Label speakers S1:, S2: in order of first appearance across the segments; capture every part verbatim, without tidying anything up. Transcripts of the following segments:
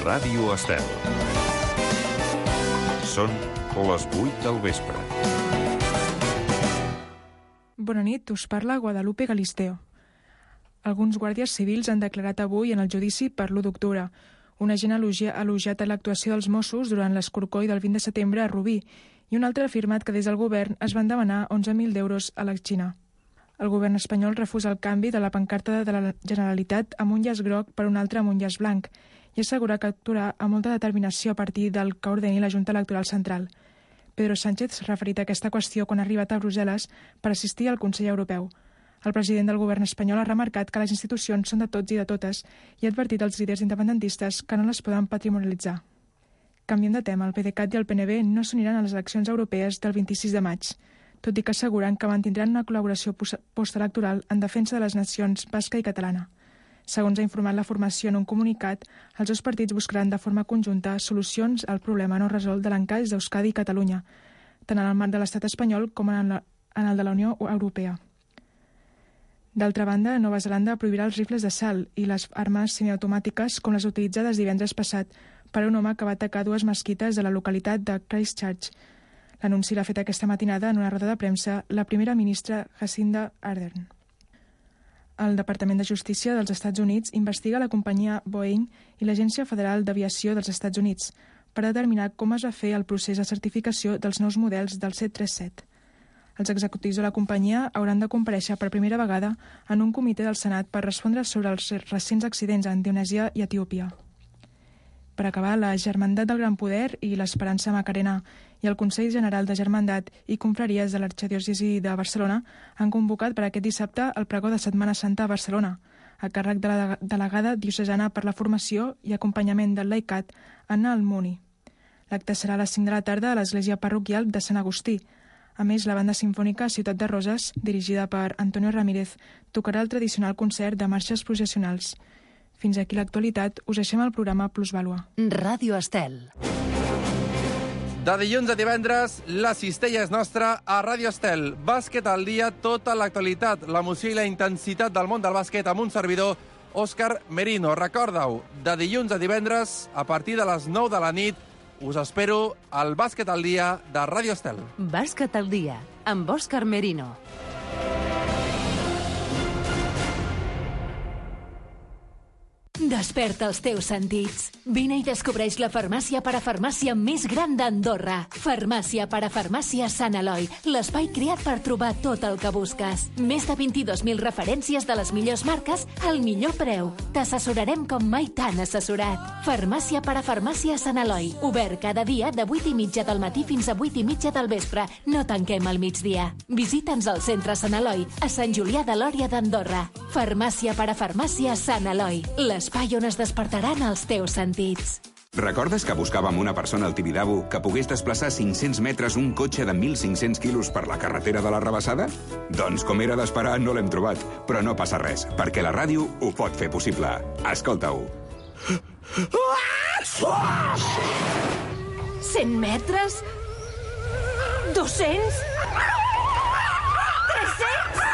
S1: Ràdio Estel. Són les vuit del vespre.
S2: Bona nit, us parla Guadalupe Galisteo. Alguns guàrdies civils han declarat avui en el judici per l'u d'octubre. Un agent ha elogiat l'actuació dels Mossos durant l'escorcoll del vint de setembre a Rubí i un altre ha afirmat que des del govern es van demanar onze mil d'euros a la Xina. El govern espanyol refusa el canvi de la pancarta de la Generalitat amb un llaç groc per un altre amb un llaç blanc i assegura que actuarà amb molta determinació a partir del que ordeni la Junta Electoral Central. Pedro Sánchez s'ha referit a aquesta qüestió quan ha arribat a Brussel·les per assistir al Consell Europeu. El president del govern espanyol ha remarcat que les institucions són de tots i de totes i ha advertit als líders independentistes que no les poden patrimonialitzar. Canviem de tema, el PDeCAT i el P N B no s'uniran a les eleccions europees del vint-i-sis de maig, tot i que asseguren que mantindran una col·laboració postelectoral en defensa de les nacions basca i catalana. Segons ha informat la formació en un comunicat, els dos partits buscaran de forma conjunta solucions al problema no resolt de l'encaix d'Euskadi i Catalunya, tant en el marc de l'estat espanyol com en el de la Unió Europea. D'altra banda, Nova Zelanda prohibirà els rifles d'assalt i les armes semiautomàtiques com les utilitzades divendres passat per un home que va atacar dues mesquites de la localitat de Christchurch. L'anunci l'ha fet aquesta matinada en una roda de premsa la primera ministra Jacinda Ardern. El Departament de Justícia dels Estats Units investiga la companyia Boeing i l'Agència Federal d'Aviació dels Estats Units per determinar com es va fer el procés de certificació dels nous models del set tres set. Els executius de la companyia hauran de comparèixer per primera vegada en un comitè del Senat per respondre sobre els recents accidents a Indonèsia i Etiòpia. Per acabar, la Germandat del Gran Poder i l'Esperança Macarena i el Consell General de Germandat i Confraries de l'Arxidiòcesi de Barcelona han convocat per aquest dissabte el pregó de Setmana Santa a Barcelona, a càrrec de la delegada diocesana per la formació i acompanyament del laicat, Anna Almuni. L'acte serà a les cinc de la tarda a l'església parroquial de Sant Agustí. A més, la banda sinfònica Ciutat de Roses, dirigida per Antonio Ramírez, tocarà el tradicional concert de marxes processionals. Fins aquí l'actualitat, us deixem el programa Plusvàlua.
S3: Ràdio Estel.
S4: De dilluns a divendres, la cistella és nostra a Ràdio Estel. Bàsquet al dia, tota l'actualitat, l'emoció i la intensitat del món del bàsquet amb un servidor, Òscar Merino. Recorda-ho, de dilluns a divendres, a partir de les nou de la nit, us espero al Bàsquet al dia de Ràdio Estel.
S3: Bàsquet al dia, amb Òscar Merino. Desperta els teus sentits. Vine i descobreix la farmàcia parafarmàcia més gran d'Andorra. Farmàcia parafarmàcia Sant Eloi, l'espai creat per trobar tot el que busques. Més de vint-i-dos mil referències de les millors marques al millor preu. T'assessorarem com mai t'han assessorat. Farmàcia parafarmàcia Sant Eloi, obert cada dia de vuit i mitja del matí fins a vuit i mitja del vespre. No tanquem al migdia. Visita'ns al centre Sant Eloi, a Sant Julià de Lòria d'Andorra. Farmàcia parafarmàcia Sant Eloi, l'espai on es despertaran els teus sentits.
S5: Recordes que buscàvem una persona al Tibidabo que pogués desplaçar cinc-cents metres un cotxe de mil cinc-cents quilos per la carretera de la Rabassada? Doncs, com era d'esperar, no l'hem trobat. Però no passa res, perquè la ràdio ho pot fer possible. Escolta-ho.
S3: cent metres? dos-cents? tres-cents?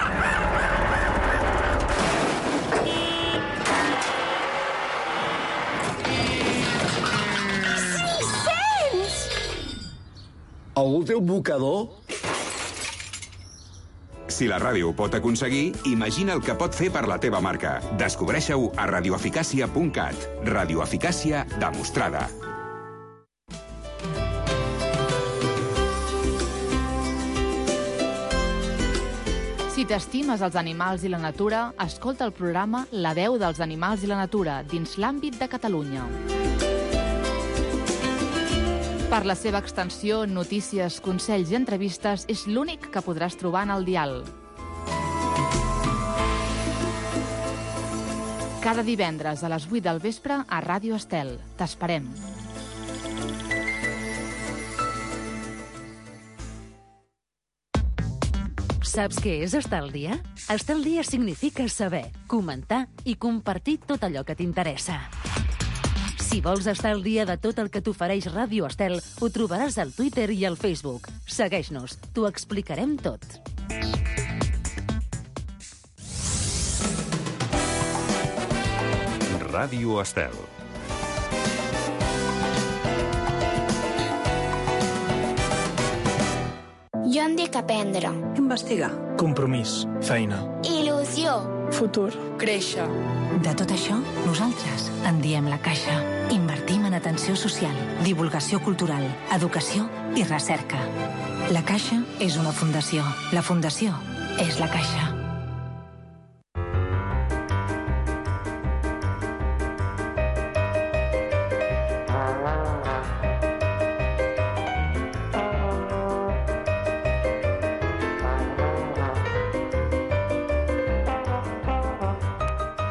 S6: Algú té un mocador?
S5: Si la ràdio ho pot aconseguir, imagina el que pot fer per la teva marca. Descobreixi-ho a radioeficàcia punt cat. Radioeficàcia demostrada.
S7: Si t'estimes els animals i la natura, escolta el programa La veu dels animals i la natura dins l'àmbit de Catalunya. Per la seva extensió, notícies, consells i entrevistes, és l'únic que podràs trobar en el dial. Cada divendres a les vuit del vespre a Ràdio Estel. T'esperem.
S3: Saps què és estar al dia? Estar al dia significa saber, comentar i compartir tot allò que t'interessa. Si vols estar al dia de tot el que t'ofereix Ràdio Estel, ho trobaràs al Twitter i al Facebook. Segueix-nos, t'ho explicarem tot.
S1: Ràdio Estel.
S8: Jo em dic aprendre.
S9: Investigar.
S10: Compromís. Feina.
S8: Il·lusió.
S2: Futur.
S11: Créixer.
S12: De tot això, nosaltres en diem La Caixa. Invertim en atenció social, divulgació cultural, educació i recerca. La Caixa és una fundació. La fundació és La Caixa.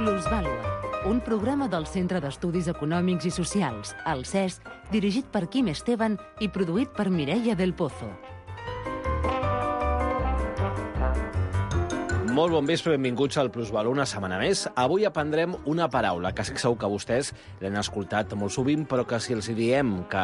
S13: Plusvàlua, un programa del Centre d'Estudis Econòmics i Socials, el C E S, dirigit per Quim Esteban i produït per Mireia del Pozo.
S14: Molt bon vespre, benvinguts al Plusvàlua una setmana més. Avui aprendrem una paraula que estic segur que vostès l'han escoltat molt sovint, però que si els diem que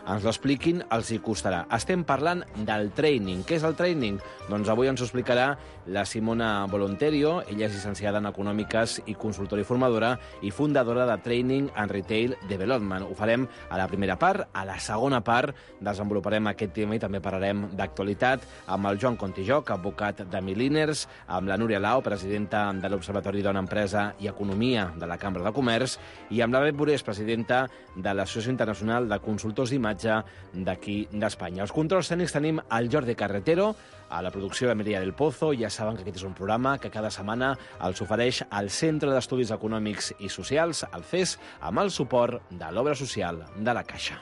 S14: ens l'expliquin, els hi costarà. Estem parlant del training. Què és el training? Doncs avui ens ho explicarà la Simona Volonterio. Ella és llicenciada en Econòmiques i consultora i formadora i fundadora de Training and Retail Development. Ho farem a la primera part. A la segona part desenvoluparem aquest tema i també parlarem d'actualitat amb el Joan Contijoc, advocat de Milliners, amb la la Núria Lau, presidenta de l'Observatori Dona Empresa i Economia de la Cambra de Comerç, i amb la Bet Borés, presidenta de l'Associació Internacional de Consultors d'Imatge d'aquí d'Espanya. Els controls tècnics tenim el Jordi Carretero, a la producció de Mireia del Pozo. Ja saben que aquest és un programa que cada setmana els ofereix el Centre d'Estudis Econòmics i Socials, el C E S, amb el suport de l'Obra Social de la Caixa.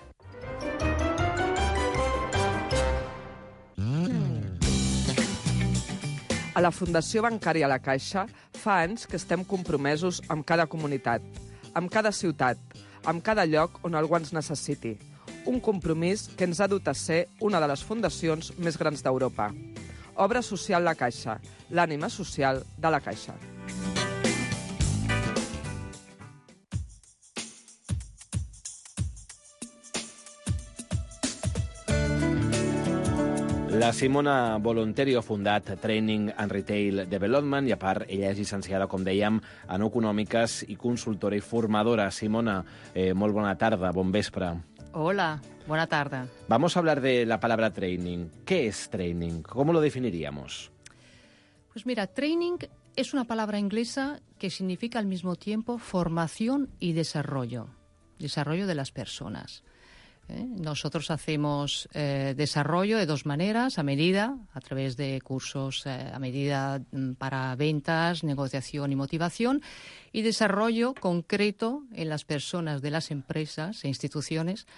S15: A la Fundació Bancària La Caixa fa anys que estem compromesos amb cada comunitat, amb cada ciutat, amb cada lloc on algú ens necessiti. Un compromís que ens ha dut a ser una de les fundacions més grans d'Europa. Obra Social La Caixa, l'ànima social de la Caixa.
S14: La Simona Volonterio ha fundat Training and Retail Development i, a part, ella és llicenciada, com dèiem, en Econòmiques i consultora i formadora. Simona, eh, molt bona tarda, bon vespre.
S7: Hola, buena tarde.
S14: Vamos a hablar de la palabra training. ¿Qué es training? ¿Cómo lo definiríamos?
S11: Pues mira, training es una palabra inglesa que significa al mismo tiempo formación y desarrollo, desarrollo de las personas. ¿Eh? Nosotros hacemos eh, desarrollo de dos maneras, a medida, a través de cursos eh, a medida para ventas, negociación y motivación, y desarrollo concreto en las personas de las empresas e instituciones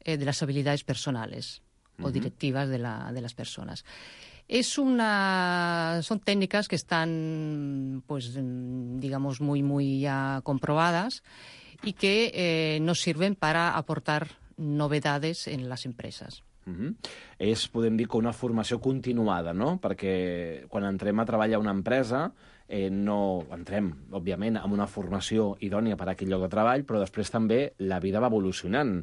S11: eh, de las habilidades personales uh-huh. o directivas de, la, de las personas. Es una, son técnicas que están, pues, digamos, muy, muy ya comprobadas y que eh, nos sirven para aportar novedades en les empreses.
S14: Uh-huh. És, podem dir, que una formació continuada, no? Perquè quan entrem a treballar a una empresa, eh, no entrem, òbviament, amb una formació idònia per a aquell lloc de treball, però després també la vida va evolucionant.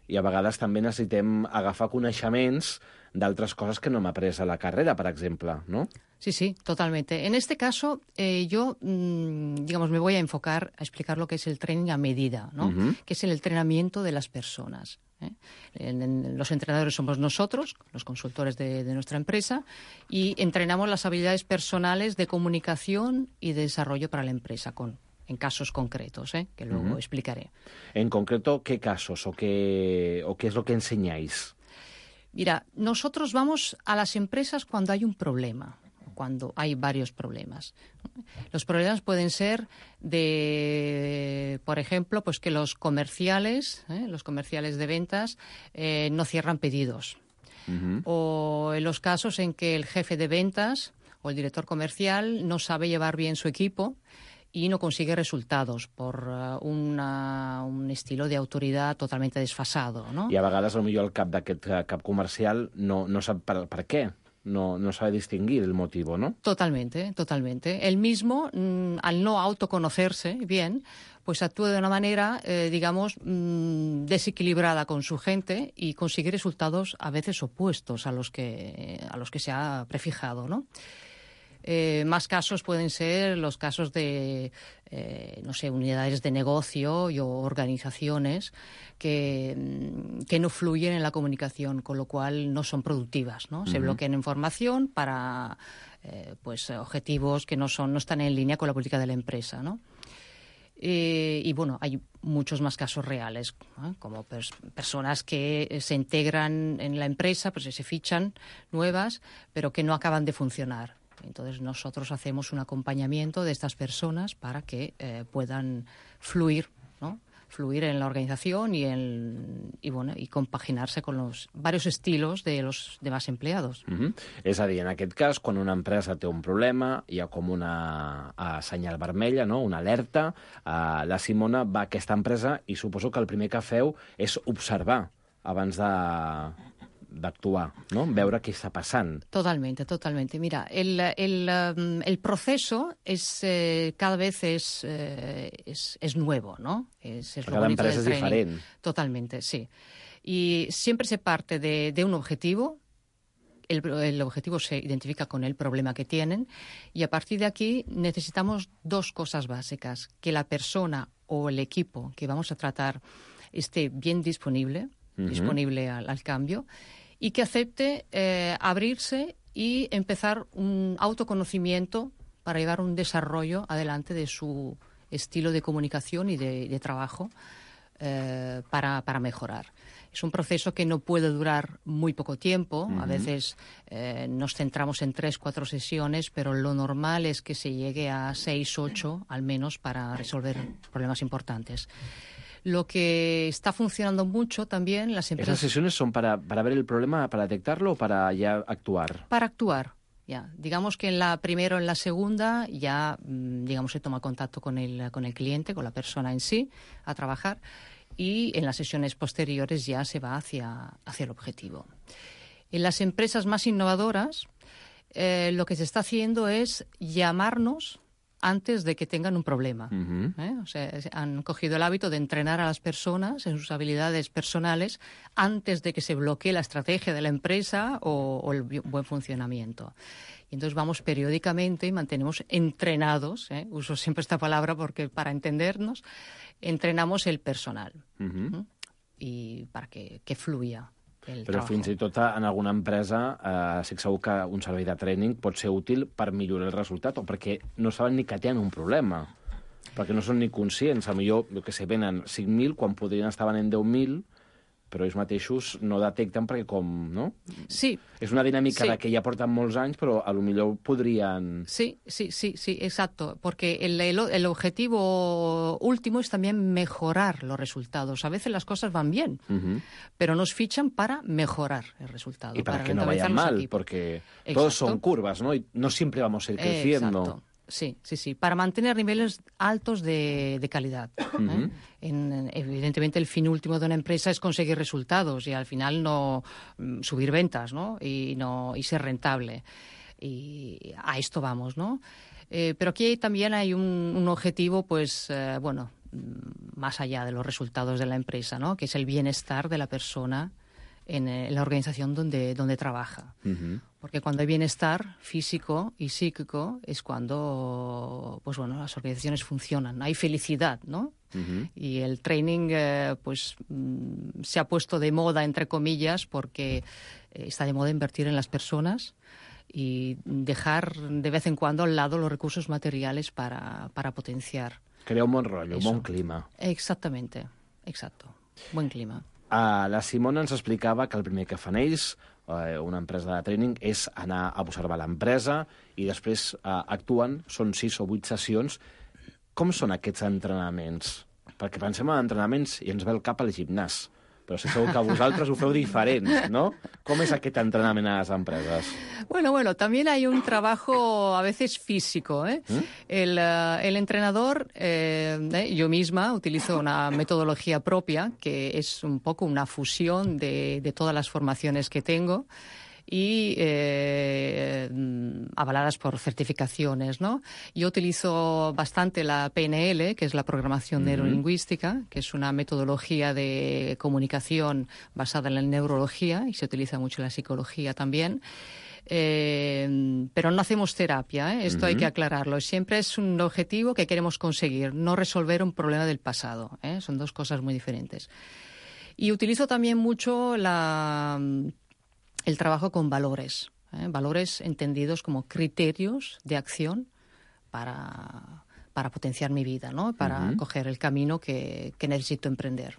S14: I a vegades també necessitem agafar coneixements d'altres coses que no hem après a la carrera, per exemple, ¿no?
S11: Sí, sí, totalmente. En este caso, eh, yo, mmm, digamos, me voy a enfocar a explicar lo que es el training a medida, ¿no? Uh-huh. Que es el entrenamiento de las personas. ¿eh? En, en, los entrenadores somos nosotros, los consultores de, de nuestra empresa, y entrenamos las habilidades personales de comunicación y de desarrollo para la empresa, con en casos concretos, ¿eh? que luego uh-huh. explicaré.
S14: En concreto, ¿qué casos o qué, o qué es lo que enseñáis?
S11: Mira, nosotros vamos a las empresas cuando hay un problema, cuando hay varios problemas. Los problemas pueden ser de, por ejemplo, pues que los comerciales, ¿eh? los comerciales de ventas, eh, no cierran pedidos. Uh-huh. O en los casos en que el jefe de ventas o el director comercial no sabe llevar bien su equipo y no consigue resultados por uh, una, un estilo de autoridad totalmente desfasado, ¿no?
S14: I a vegades, potser el cap d'aquest cap comercial no, no sap per, per què. No, no sabe distinguir el motivo, ¿no?
S11: Totalmente, totalmente. Él mismo, mmm, al no autoconocerse bien, pues actúa de una manera, eh, digamos, mmm, desequilibrada con su gente y consigue resultados a veces opuestos a los que, a los que se ha prefijado, ¿no? Eh, más casos pueden ser los casos de, eh, no sé, unidades de negocio y o organizaciones que, que no fluyen en la comunicación, con lo cual no son productivas, ¿no? Se
S9: Uh-huh.
S11: bloquean información para eh, pues objetivos que no son, no están en línea con la política de la empresa, ¿no? Eh, y bueno, hay muchos más casos reales, ¿eh? Como pers- personas que se integran en la empresa, pues se fichan nuevas, pero que no acaban de funcionar. Entonces nosotros hacemos un acompañamiento de estas personas para que eh, puedan fluir, ¿no? Fluir en la organización y, en, i, bueno, i compaginarse con los varios estilos de los demás empleados.
S14: Uh-huh. És a dir, en aquest cas, quan una empresa té un problema, hi ha com una uh, senyal vermella, no? Una alerta. Uh, la Simona va a aquesta empresa i suposo que el primer que feu és observar abans de... d'actuar, ¿no? Veure què està passant.
S11: Totalmente, totalmente. Mira, el, el, um, el proceso es eh, cada vez es, eh, es, es nuevo, ¿no? Es, es
S14: Cada empresa es diferente.
S11: Totalmente, sí. Y siempre se parte de, de un objetivo. El, el objetivo se identifica con el problema que tienen y a partir de aquí necesitamos dos cosas básicas. Que la persona o el equipo que vamos a tratar esté bien disponible, uh-huh. disponible al, al cambio, y que acepte eh, abrirse y empezar un autoconocimiento para llevar un desarrollo adelante de su estilo de comunicación y de, de trabajo eh, para, para mejorar. Es un proceso que no puede durar muy poco tiempo. Uh-huh. A veces eh, nos centramos en tres, cuatro sesiones, pero lo normal es que se llegue a seis, ocho, al menos, para resolver problemas importantes. Lo que está funcionando mucho también, las empresas...
S14: ¿Esas sesiones son para, para ver el problema, para detectarlo o para ya actuar?
S11: Para actuar, ya. Digamos que en la primera o en la segunda ya, digamos, se toma contacto con el, con el cliente, con la persona en sí, a trabajar, y en las sesiones posteriores ya se va hacia, hacia el objetivo. En las empresas más innovadoras, eh, lo que se está haciendo es llamarnos antes de que tengan un problema.
S14: Uh-huh.
S11: ¿eh? O sea, han cogido el hábito de entrenar a las personas en sus habilidades personales antes de que se bloquee la estrategia de la empresa o, o el buen funcionamiento. Y entonces vamos periódicamente y mantenemos entrenados, ¿eh? Uso siempre esta palabra porque para entendernos, entrenamos el personal.
S14: Uh-huh.
S11: ¿eh? Y para que, que fluya. El
S14: Però
S11: trabajo.
S14: fins i tot en alguna empresa eh, sí que segur que un servei de training pot ser útil per millorar el resultat o perquè no saben ni que tenen un problema, perquè no són ni conscients. A millor, jo que sé, venen cinc mil quan podrien estar venent deu mil, però ells mateixos no detecten perquè com, no?
S11: Sí.
S14: És una dinàmica
S11: Sí.
S14: de que ja porten molts anys, però a lo millor podrien...
S11: Sí, sí, sí, sí, exacto, porque el, el, el objetivo último es también mejorar los resultados. A veces las cosas van bien,
S14: Uh-huh.
S11: pero nos fichan para mejorar el resultado.
S14: Y para,
S11: para
S14: que no vayan
S11: rentabilizar
S14: mal,
S11: los equipos.
S14: porque
S11: Exacto.
S14: todos son curvas, ¿no? Y no siempre vamos a ir creciendo.
S11: Exacto. Sí, sí, sí, para mantener niveles altos de, de calidad. ¿eh?
S14: Uh-huh.
S11: En, evidentemente, el fin último de una empresa es conseguir resultados y al final no mm, subir ventas, ¿no? Y, no, y ser rentable. Y a esto vamos, ¿no? Eh, pero aquí también hay un, un objetivo, pues, eh, bueno, más allá de los resultados de la empresa, ¿no? Que es el bienestar de la persona en, en la organización donde, donde trabaja.
S14: Uh-huh.
S11: Porque cuando hay bienestar físico y psíquico es cuando, pues bueno, las organizaciones funcionan. Hay felicidad, ¿no?
S14: Uh-huh.
S11: Y el training, eh, pues, mm, se ha puesto de moda, entre comillas, porque eh, está de moda invertir en las personas y dejar de vez en cuando al lado los recursos materiales para, para potenciar.
S14: Crea un bon rotllo, un
S11: Eso.
S14: bon clima.
S11: Exactamente, exacto. Buen clima.
S14: Uh, la Simona ens explicava que el primer que fan ells, uh, una empresa de training, és anar a observar l'empresa i després uh, actuen, són sis o vuit sessions. Com són aquests entrenaments? Perquè pensem en entrenaments i ens ve el cap al gimnàs, però sé segur que vosaltres ho feu diferent, no? Com és aquest entrenament a les empreses?
S11: Bueno, bueno, también hay un trabajo a veces físico, ¿eh?
S14: ¿Mm?
S11: El, uh, el entrenador, eh, eh, yo misma utilizo una metodología propia que es un poco una fusión de, de todas las formaciones que tengo y eh, avaladas por certificaciones, ¿no? Yo utilizo bastante la P N L, que es la programación
S9: Uh-huh.
S11: neurolingüística, que es una metodología de comunicación basada en la neurología y se utiliza mucho en la psicología también. Eh, pero no hacemos terapia, ¿eh? Esto uh-huh. hay que aclararlo. Siempre es un objetivo que queremos conseguir, no resolver un problema del pasado, ¿eh? Son dos cosas muy diferentes. Y utilizo también mucho la, el trabajo con valores, ¿eh? Valores entendidos como criterios de acción para, para potenciar mi vida, ¿no? Para uh-huh. coger el camino que, que necesito emprender.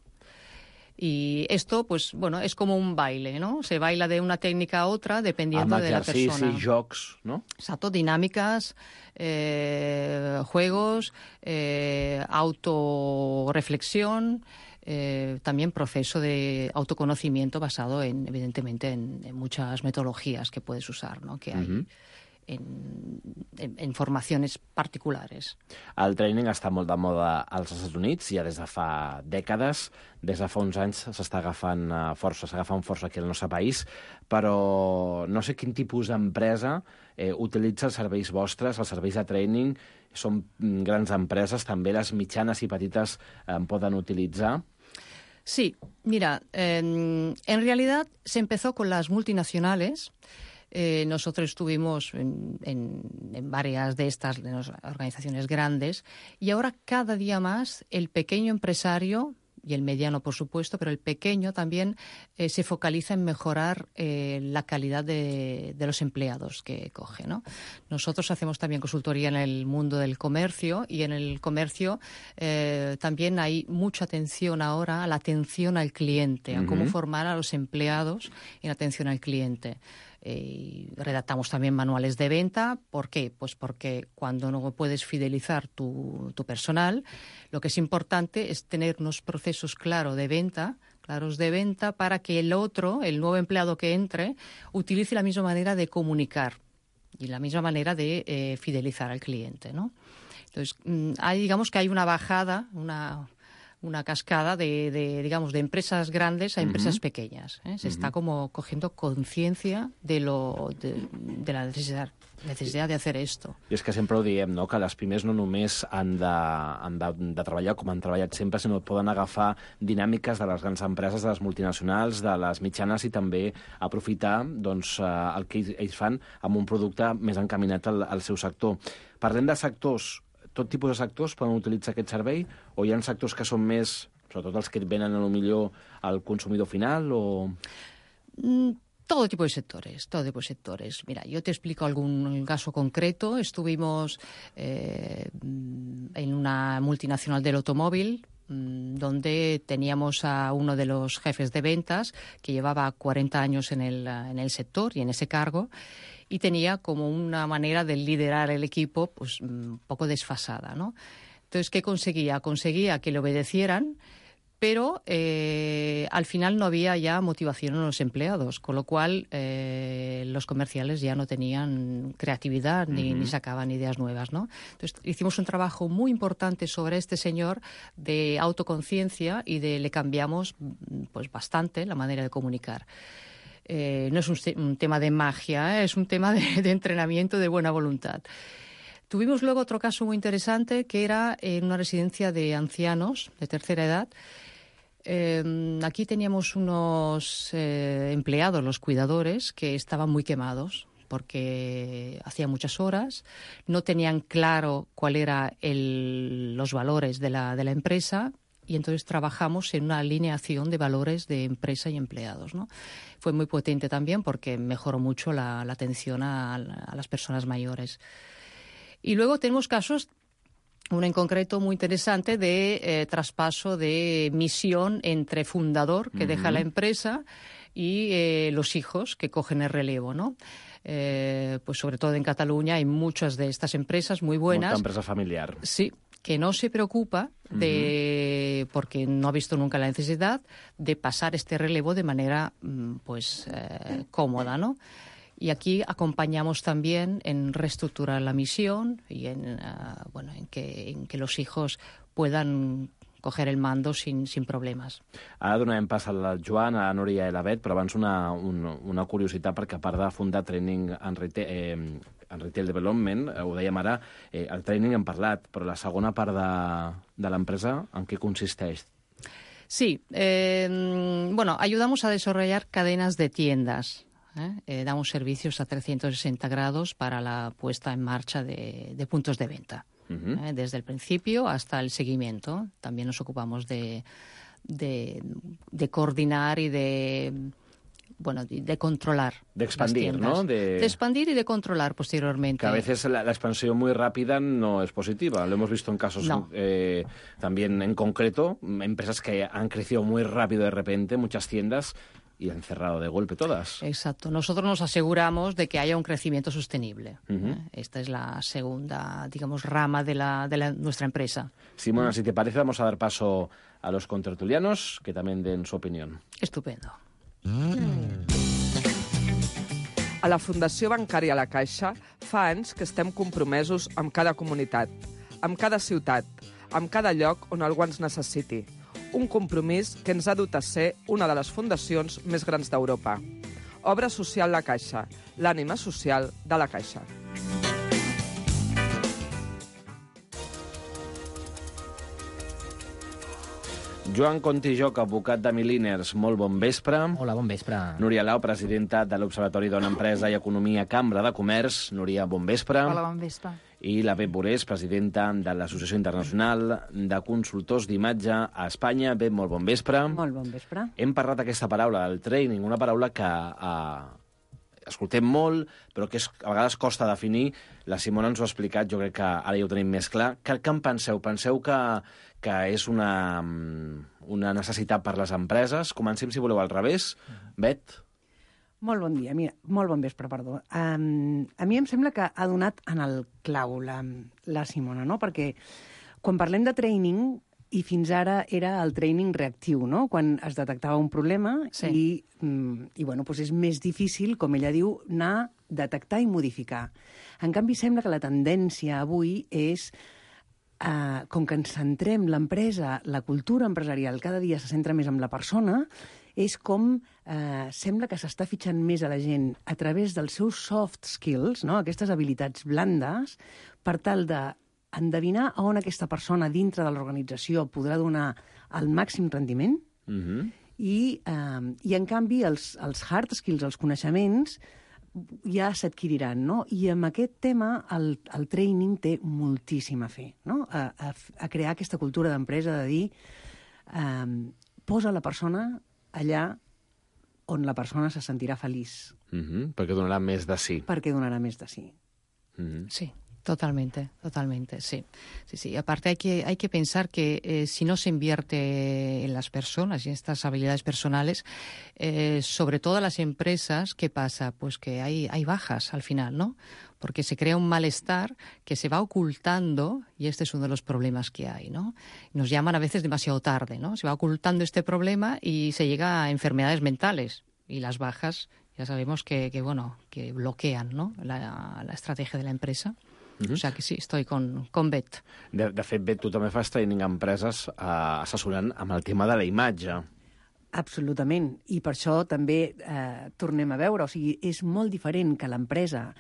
S11: Y esto, pues, bueno, es como un baile, ¿no? Se baila de una técnica a otra dependiendo de la persona.
S14: Amb exercicis, jocs, no?
S11: Exacto, dinámicas, eh, juegos, eh, autorreflexión, eh, también proceso de autoconocimiento basado, en, evidentemente, en, en muchas metodologías que puedes usar, ¿no? Que hay. Uh-huh. En, en, en formacions particulars.
S14: El training està molt de moda als Estats Units, ja des de fa dècades, des de fa uns anys s'està agafant força, s'està agafant força aquí al nostre país, però no sé quin tipus d'empresa eh, utilitza els serveis vostres, els serveis de training. Són grans empreses, també les mitjanes i petites en poden utilitzar.
S11: Sí, mira, eh, en realidad se empezó con las multinacionales. Eh, nosotros estuvimos en, en, en varias de estas de las organizaciones grandes y ahora cada día más el pequeño empresario y el mediano, por supuesto, pero el pequeño también eh, se focaliza en mejorar eh, la calidad de, de los empleados que coge, ¿no? Nosotros hacemos también consultoría en el mundo del comercio y en el comercio eh, también hay mucha atención ahora a la atención al cliente, a uh-huh. cómo formar a los empleados en atención al cliente. Eh, redactamos también manuales de venta. ¿Por qué? Pues porque cuando no puedes fidelizar tu, tu personal, lo que es importante es tener unos procesos claros de venta, claros de venta para que el otro, el nuevo empleado que entre, utilice la misma manera de comunicar y la misma manera de eh, fidelizar al cliente, ¿no? Entonces, hay, digamos que hay una bajada, una... una cascada de, de, digamos, de empresas grandes a empresas uh-huh. pequeñas. ¿eh? Se uh-huh. está como cogiendo conciencia de, lo, de, de la necesidad, necesidad de hacer esto.
S14: I és que sempre ho diem, no? Que les pimes no només han de, han de, de treballar com han treballat sempre, sinó que poden agafar dinàmiques de les grans empreses, de les multinacionals, de les mitjanes i també aprofitar doncs, el que ells fan amb un producte més encaminat al, al seu sector. Parlem de sectors. Tot tipus de sectors poden utilitzar aquest servei o hi ha sectors que són més, sobretot els que venen a lo millor al consumidor final o...
S11: Mm, todo tipo de sectores, todo tipo de sectores. Mira, yo te explico algún caso concreto. Estuvimos eh, en una multinacional del automóvil donde teníamos a uno de los jefes de ventas que llevaba cuarenta años en el, en el sector y en ese cargo, y tenía como una manera de liderar el equipo pues un poco desfasada, ¿no? Entonces, ¿qué conseguía? Conseguía que le obedecieran, pero eh, al final no había ya motivación en los empleados, con lo cual eh, los comerciales ya no tenían creatividad ni, uh-huh. ni sacaban ideas nuevas, ¿no? Entonces hicimos un trabajo muy importante sobre este señor de autoconciencia y de le cambiamos pues bastante la manera de comunicar. Eh, no es un, un tema de magia, ¿eh? Es un tema de, de entrenamiento, de buena voluntad. Tuvimos luego otro caso muy interesante que era en una residencia de ancianos de tercera edad. Eh, aquí teníamos unos eh, empleados, los cuidadores, que estaban muy quemados porque hacían muchas horas, no tenían claro cuál era el, los valores de la, de la empresa y entonces trabajamos en una alineación de valores de empresa y empleados, ¿no? Fue muy potente también porque mejoró mucho la, la atención a, a las personas mayores. Y luego tenemos casos, uno en concreto muy interesante, de eh, traspaso de misión entre fundador, que uh-huh. deja la empresa, y eh, los hijos que cogen el relevo, ¿no? Eh, pues sobre todo en Cataluña hay muchas de estas empresas muy buenas.
S14: Mucha empresa familiar.
S11: Sí, que no se preocupa de, uh-huh. porque no ha visto nunca la necesidad de pasar este relevo de manera pues eh, cómoda, ¿no? Y aquí acompañamos también en reestructurar la misión y en, uh, bueno, en, que, en que los hijos puedan coger el mando sin, sin problemes.
S14: Ara donarem pas al Joan, a la Núria i la Bet, però abans una, una, una curiositat, perquè a part de fundar Training and Retail, eh, and Retail Development, eh, ho dèiem ara, eh, el training hem parlat, però la segona part de, de l'empresa, en què consisteix?
S11: Sí, eh, bueno, ayudamos a desarrollar cadenas de tiendas. ¿eh? Eh, damos servicios a trescientos sesenta grados para la puesta en marcha de, de puntos de venta. Uh-huh. ¿eh? Desde el principio hasta el seguimiento. También nos ocupamos de, de, de coordinar y de... bueno, de, de controlar.
S14: De expandir, ¿no?
S11: De... de expandir y de controlar posteriormente.
S14: Que a veces la, la expansión muy rápida no es positiva. Lo hemos visto en casos
S11: no.
S14: eh, también en concreto, empresas que han crecido muy rápido de repente, muchas tiendas, y han cerrado de golpe todas.
S11: Exacto. Nosotros nos aseguramos de que haya un crecimiento sostenible.
S14: Uh-huh.
S11: ¿eh? Esta es la segunda, digamos, rama de, la, de la, nuestra empresa.
S14: Simona, uh-huh. si te parece, vamos a dar paso a los contertulianos, que también den su opinión.
S11: Estupendo.
S15: A la Fundació Bancària La Caixa fa anys que estem compromesos amb cada comunitat, amb cada ciutat, amb cada lloc on algú ens necessiti. Un compromís que ens ha dut a ser una de les fundacions més grans d'Europa. Obra Social La Caixa, l'ànima social de la Caixa.
S14: Joan Contijoc, advocat de Milliners, molt bon vespre.
S9: Hola, bon vespre.
S14: Núria Lau, presidenta de l'Observatori Dona Empresa i Economia, Cambra de Comerç. Núria, bon vespre.
S16: Hola, bon vespre.
S14: I la Beth Borés, presidenta de l'Associació Internacional de Consultors d'Imatge a Espanya. Beth, molt bon vespre.
S16: Molt bon vespre.
S14: Hem parlat aquesta paraula, el training, una paraula que eh, escoltem molt, però que és, a vegades costa definir. La Simona ens ho ha explicat, jo crec que ara ja ho tenim més clar. Què, què en penseu? Penseu que, que és una, una necessitat per les empreses? Comencem, si voleu, al revés. Bet?
S16: Molt bon dia, mira, molt bon vespre, perdó. Um, a mi em sembla que ha donat en el clau la, la Simona, no? Perquè quan parlem de training, i fins ara era el training reactiu, no? Quan es detectava un problema sí. i, i bueno, doncs és més difícil, com ella diu, anar detectar i modificar. En canvi, sembla que la tendència avui és, uh, com que ens centrem l'empresa, la cultura empresarial cada dia se centra més en la persona, és com eh, sembla que s'està fitxant més a la gent a través dels seus soft skills, no? Aquestes habilitats blandes, per tal d'endevinar a on aquesta persona dintre de l'organització podrà donar el màxim rendiment
S14: uh-huh.
S16: i, eh, i, en canvi, els, els hard skills, els coneixements, ja s'adquiriran, no? I amb aquest tema el, el training té moltíssim a fer, no? A, a, a crear aquesta cultura d'empresa de dir eh, posa la persona allà on la persona se sentirà feliç.
S14: Uh-huh, perquè donarà més de sí.
S16: Perquè donarà més de sí.
S14: Uh-huh.
S11: Sí, totalmente, totalmente, sí. Sí, sí. Aparte hay que, hay que pensar que eh, si no se invierte en las personas y en estas habilidades personales, eh, sobre todo en las empresas, ¿qué pasa? Pues que hay, hay bajas al final, ¿no? Porque se crea un malestar que se va ocultando, y este es uno de los problemas que hay, ¿no? Nos llaman a veces demasiado tarde, ¿no? Se va ocultando este problema y se llega a enfermedades mentales. Y las bajas, ya sabemos que, que bueno, que bloquean, ¿no? la, la estrategia de la empresa. Uh-huh. O sea que sí, estoy con, con Bet.
S14: De, de fet, Bet, tu també fas training a empreses eh, assessorant amb el tema de la imatge.
S16: Absolutament. I per això també eh, tornem a veure. O sigui, és molt diferent que l'empresa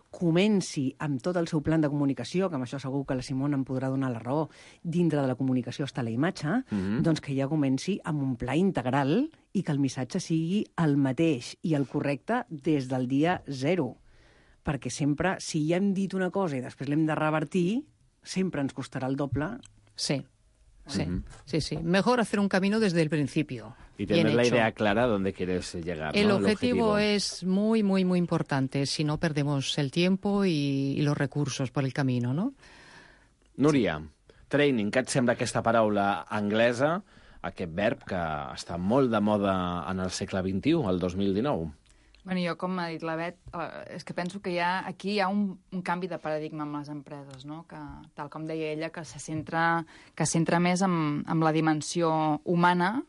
S16: comenci amb tot el seu plan de comunicació, que amb això segur que la Simona em podrà donar la raó, dintre de la comunicació està la imatge, mm-hmm. doncs que ja comenci amb un pla integral i que el missatge sigui el mateix i el correcte des del dia zero. Perquè sempre, si ja hem dit una cosa i després l'hem de revertir, sempre ens costarà el doble.
S11: Sí. Sí, uh-huh. sí, sí. Mejor hacer un camino desde el principio.
S14: Y tener la idea clara a dónde quieres llegar.
S11: El,
S14: ¿no?
S11: objetivo,
S14: el objetivo
S11: es muy, muy, muy importante. Si no, perdemos el tiempo y, y los recursos por el camino, ¿no?
S14: Núria, sí. Training, què et sembla aquesta paraula anglesa, aquest verb que està molt de moda en el segle vint-i-u, el dos mil dinou?
S17: Bueno, jo, com ha dit la Bet, eh, és que penso que hi ha, aquí hi ha un, un canvi de paradigma amb les empreses, no? Que, tal com deia ella, que se centra, que se centra més en, en la dimensió humana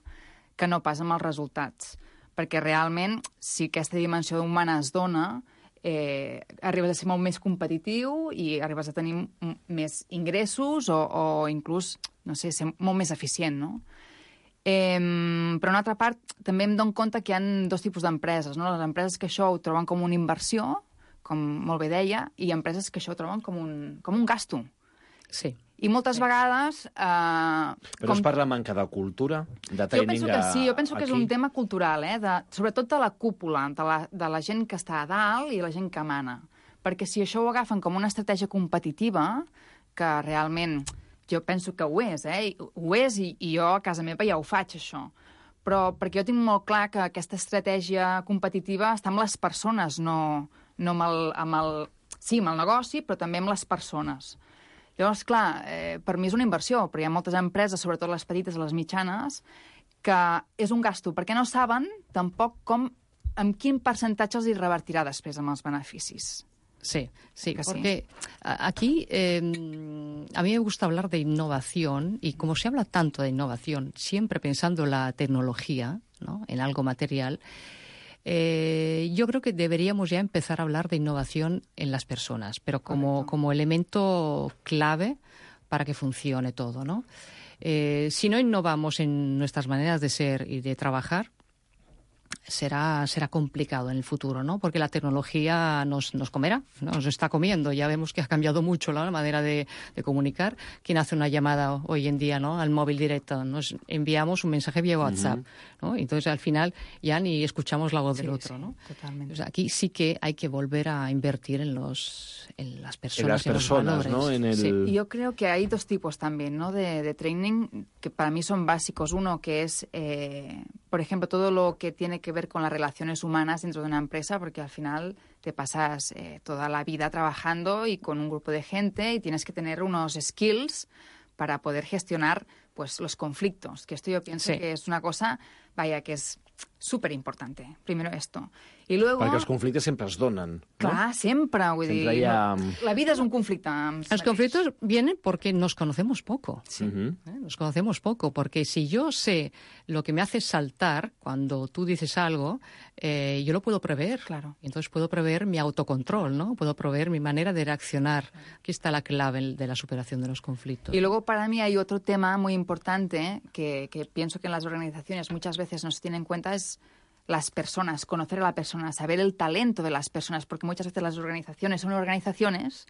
S17: que no pas amb els resultats. Perquè realment, si aquesta dimensió humana es dona, eh, arribes a ser molt més competitiu i arribes a tenir m- més ingressos o, o inclús, no sé, ser molt més eficient, no? Eh, però, una altra part, també em dono compte que hi ha dos tipus d'empreses, no? Les empreses que això ho troben com una inversió, com molt bé deia, i empreses que això ho troben com un, com un gasto.
S11: Sí.
S17: I moltes vegades... Eh,
S14: Però com... és per la manca de cultura, de training
S17: jo penso que sí, jo penso
S14: aquí?
S17: que és un tema cultural, eh, de, sobretot de la cúpula, de la, de la gent que està a dalt i la gent que mana. Perquè si això ho agafen com una estratègia competitiva, que realment jo penso que ho és, eh? Ho és i, i jo a casa meva ja ho faig, això. Però perquè jo tinc molt clar que aquesta estratègia competitiva està amb les persones, no, no amb, el, amb el... Sí, amb el negoci, però també amb les persones. Llavors, clar, eh, per mi és una inversió, però hi ha moltes empreses, sobretot les petites i les mitjanes, que és un gasto, perquè no saben tampoc com, amb quin percentatge els hi revertirà després amb els beneficis.
S11: Sí, sí,
S17: que
S11: porque
S17: sí.
S11: aquí eh, a mí me gusta hablar de innovación y como se habla tanto de innovación, siempre pensando en la tecnología, ¿no?, en algo material, Eh, yo creo que deberíamos ya empezar a hablar de innovación en las personas, pero como, como elemento clave para que funcione todo, ¿no? Eh, si no innovamos en nuestras maneras de ser y de trabajar, será, será complicado en el futuro, ¿no? Porque la tecnología nos, nos comerá, ¿no? Nos está comiendo. Ya vemos que ha cambiado mucho, ¿no?, la manera de, de comunicar. ¿Quién hace una llamada hoy en día, ¿no?, al móvil directo? Nos enviamos un mensaje vía WhatsApp, uh-huh. ¿no? Entonces, al final, ya ni escuchamos la voz
S17: sí,
S11: del otro,
S17: sí,
S11: ¿no?
S17: Totalmente.
S11: O sea, aquí sí que hay que volver a invertir en, los, en las personas,
S14: en las
S11: en
S14: personas,
S11: los valores.
S14: ¿no? En el...
S17: Sí, yo creo que hay dos tipos también, ¿no?, de, de training que para mí son básicos. Uno que es, eh, por ejemplo, todo lo que tiene que ver con las relaciones humanas dentro de una empresa, porque al final te pasas eh, toda la vida trabajando y con un grupo de gente y tienes que tener unos skills para poder gestionar pues los conflictos, que esto yo pienso
S11: sí.
S17: que es una cosa, vaya, que es súper importante. Primero esto. I luego...
S14: Perquè els conflictes sempre es donen, no?
S17: Clar, sempre, vull
S14: sempre
S17: dir...
S14: ha...
S17: La vida es un conflicte.
S11: Los conflictos vienen porque nos conocemos poco.
S17: Sí.
S14: Uh-huh.
S11: ¿Eh? Nos conocemos poco, porque si yo sé lo que me hace saltar cuando tú dices algo, eh, yo lo puedo prever.
S17: Claro.
S11: Y entonces puedo prever mi autocontrol, ¿no? Puedo prever mi manera de reaccionar. Aquí está la clave de la superación de los conflictos.
S17: Y luego para mí hay otro tema muy importante que, que pienso que en las organizaciones muchas veces no se tiene en cuenta, es las personas, conocer a la persona, saber el talento de las personas, porque muchas veces las organizaciones son organizaciones,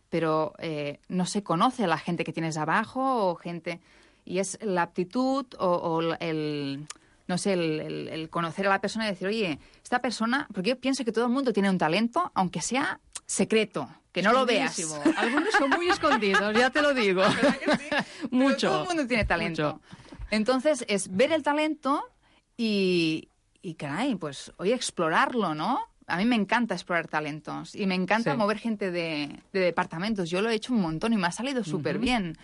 S17: pero eh, no se conoce a la gente que tienes abajo o gente... Y es la aptitud o, o el... no sé, el, el, el conocer a la persona y decir, oye, esta persona... Porque yo pienso que todo el mundo tiene un talento, aunque sea secreto, que no lo veas.
S11: Algunos son muy escondidos, ya te lo digo.
S17: Sí?
S11: Mucho.
S17: Pero todo el mundo tiene talento.
S11: Mucho.
S17: Entonces, es ver el talento y... Y, caray, pues, oye, explorarlo, ¿no? A mí me encanta explorar talentos y me encanta sí. mover gente de, de departamentos. Yo lo he hecho un montón y me ha salido súper uh-huh. bien.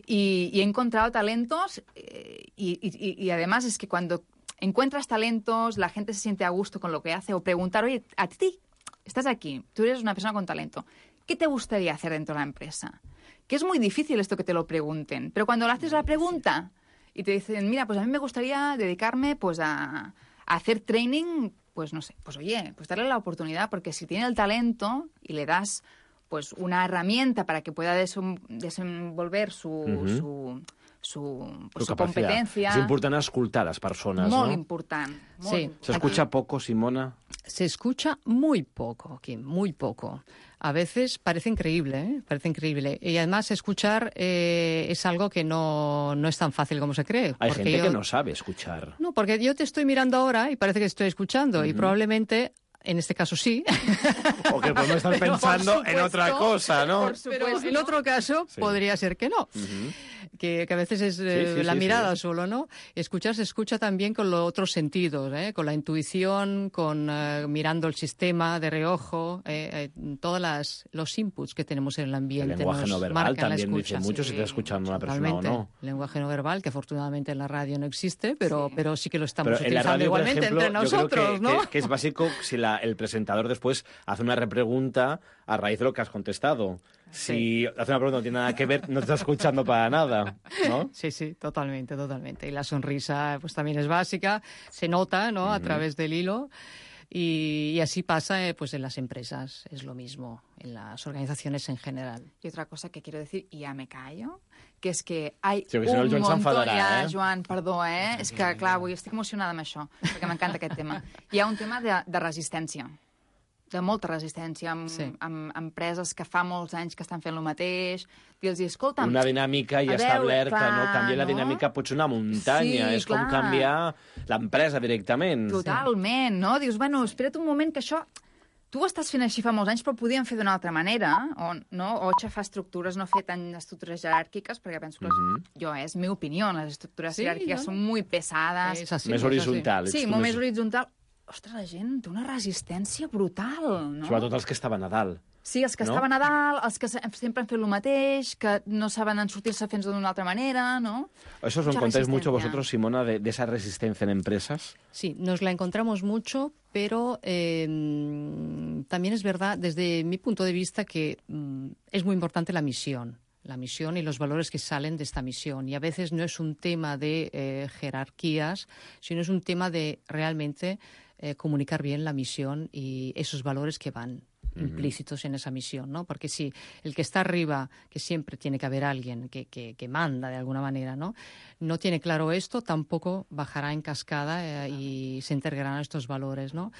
S17: Y, y he encontrado talentos eh, y, y, y además es que cuando encuentras talentos, la gente se siente a gusto con lo que hace o preguntar, oye, a ti, estás aquí, tú eres una persona con talento, ¿qué te gustaría hacer dentro de la empresa? Que es muy difícil esto que te lo pregunten, pero cuando le haces la pregunta y te dicen, mira, pues a mí me gustaría dedicarme pues a... hacer training, pues no sé, pues oye, pues darle la oportunidad, porque si tiene el talento y le das pues una herramienta para que pueda desem- desenvolver su, uh-huh. su, su, pues, su competencia...
S14: És important escoltar a les persones,
S17: molt
S14: no?
S17: Important, molt
S11: sí.
S17: important.
S14: ¿Se escucha poco, Simona?
S11: Se escucha muy poco, Kim, muy poco. A veces parece increíble, ¿eh? Parece increíble. Y además escuchar eh, es algo que no, no es tan fácil como se cree.
S14: Hay gente
S11: yo...
S14: que no sabe escuchar.
S11: No, porque yo te estoy mirando ahora y parece que estoy escuchando. Uh-huh. Y probablemente, en este caso sí.
S14: O que podemos estar pensando supuesto, en otra cosa, ¿no?
S11: Pero en otro caso sí. podría ser que no. Uh-huh. Que, que a veces es eh, sí, sí, la sí, mirada sí. solo, ¿no? Escuchar se escucha también con los otros sentidos, ¿eh? Con la intuición, con uh, mirando el sistema de reojo, eh, eh, todos las, los inputs que tenemos en el ambiente.
S14: El lenguaje no verbal también dice mucho sí, si te escuchando una persona o no.
S11: El lenguaje no verbal, que afortunadamente en la radio no existe, pero sí, pero sí que lo estamos
S14: pero
S11: utilizando
S14: radio,
S11: igualmente
S14: ejemplo,
S11: entre nosotros,
S14: yo creo que,
S11: ¿no?
S14: Que, que es básico si la, el presentador después hace una repregunta a raíz de lo que has contestado. Si sí. hace una pregunta no tiene nada que ver, no te está escuchando para nada, ¿no?
S11: Sí, sí, totalmente, totalmente. Y la sonrisa pues también es básica, se nota, ¿no? Uh-huh. A través del hilo. Y, y así pasa eh, pues en las empresas, es lo mismo, en las organizaciones en general.
S17: Y otra cosa que quiero decir, y ya me callo, que és que hay
S14: sí, que
S17: un
S14: si no,
S17: montón... Ja,
S14: eh?
S17: Joan, perdó, eh? És que, clar, avui estic emocionada amb això, perquè m'encanta aquest tema. Hi ha un tema de, de resistència. de molta resistència, amb, sí. amb empreses que fa molts anys que estan fent el mateix, dir-los, escolta'm...
S14: Una dinàmica ja establerta, no? Canviar la dinàmica pot ser una muntanya, és com canviar l'empresa directament.
S17: Totalment, no? Dius, bueno, espera't un moment que això... Tu ho estàs fent així fa molts anys, però ho podíem fer d'una altra manera, o, no? o aixafar estructures, no fer tant estructures jeràrquiques, perquè penso que les, mm-hmm. jo, és meva opinió, les estructures sí, jeràrquiques no? són molt pesades.
S14: És així, més horitzontal.
S17: Sí, molt més horitzontal. Ostres, la gent té una resistència brutal, no?
S14: Sobretot els que estaven a dalt.
S17: Sí, els que no? estaven a dalt, els que sempre han fet el mateix, que no saben en sortir-se fent d'una altra manera, ¿no?
S14: Eso os lo encontráis mucho vosotros, Simona, de, de esa resistencia en empresas.
S11: Sí, nos la encontramos mucho, pero eh, también es verdad, desde mi punto de vista, que mm, es muy importante la misión. La misión y los valores que salen de esta misión. Y a veces no es un tema de eh, jerarquías, sino es un tema de realmente eh, comunicar bien la misión y esos valores que van implícitos en esa misión, ¿no? Porque si el que está arriba, que siempre tiene que haber alguien que, que, que manda de alguna manera, ¿no? No tiene claro esto, tampoco bajará en cascada eh, y se integrarán estos valores, ¿no?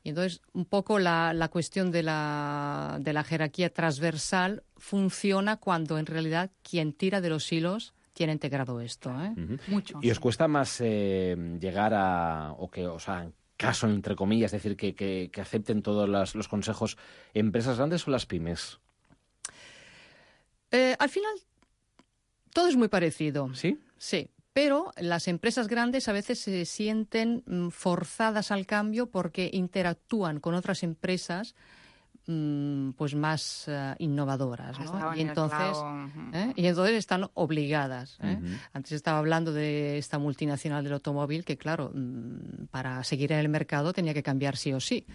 S11: Y entonces, un poco la, la cuestión de la, de la jerarquía transversal funciona cuando en realidad quien tira de los hilos tiene integrado esto, ¿eh?
S14: Uh-huh.
S11: Mucho.
S14: ¿Y os cuesta más eh, llegar a, o que, o sea, caso, entre comillas, es decir, que, que, que acepten todos los, los consejos, empresas grandes o las pymes?
S11: Eh, al final, todo es muy parecido.
S14: ¿Sí?
S11: Sí. Pero las empresas grandes a veces se sienten mm, forzadas al cambio porque interactúan con otras empresas mm, pues más uh, innovadoras, ¿no? Y entonces, ¿eh? y entonces están obligadas. ¿eh? Uh-huh. Antes estaba hablando de esta multinacional del automóvil que, claro, mm, para seguir en el mercado tenía que cambiar sí o sí.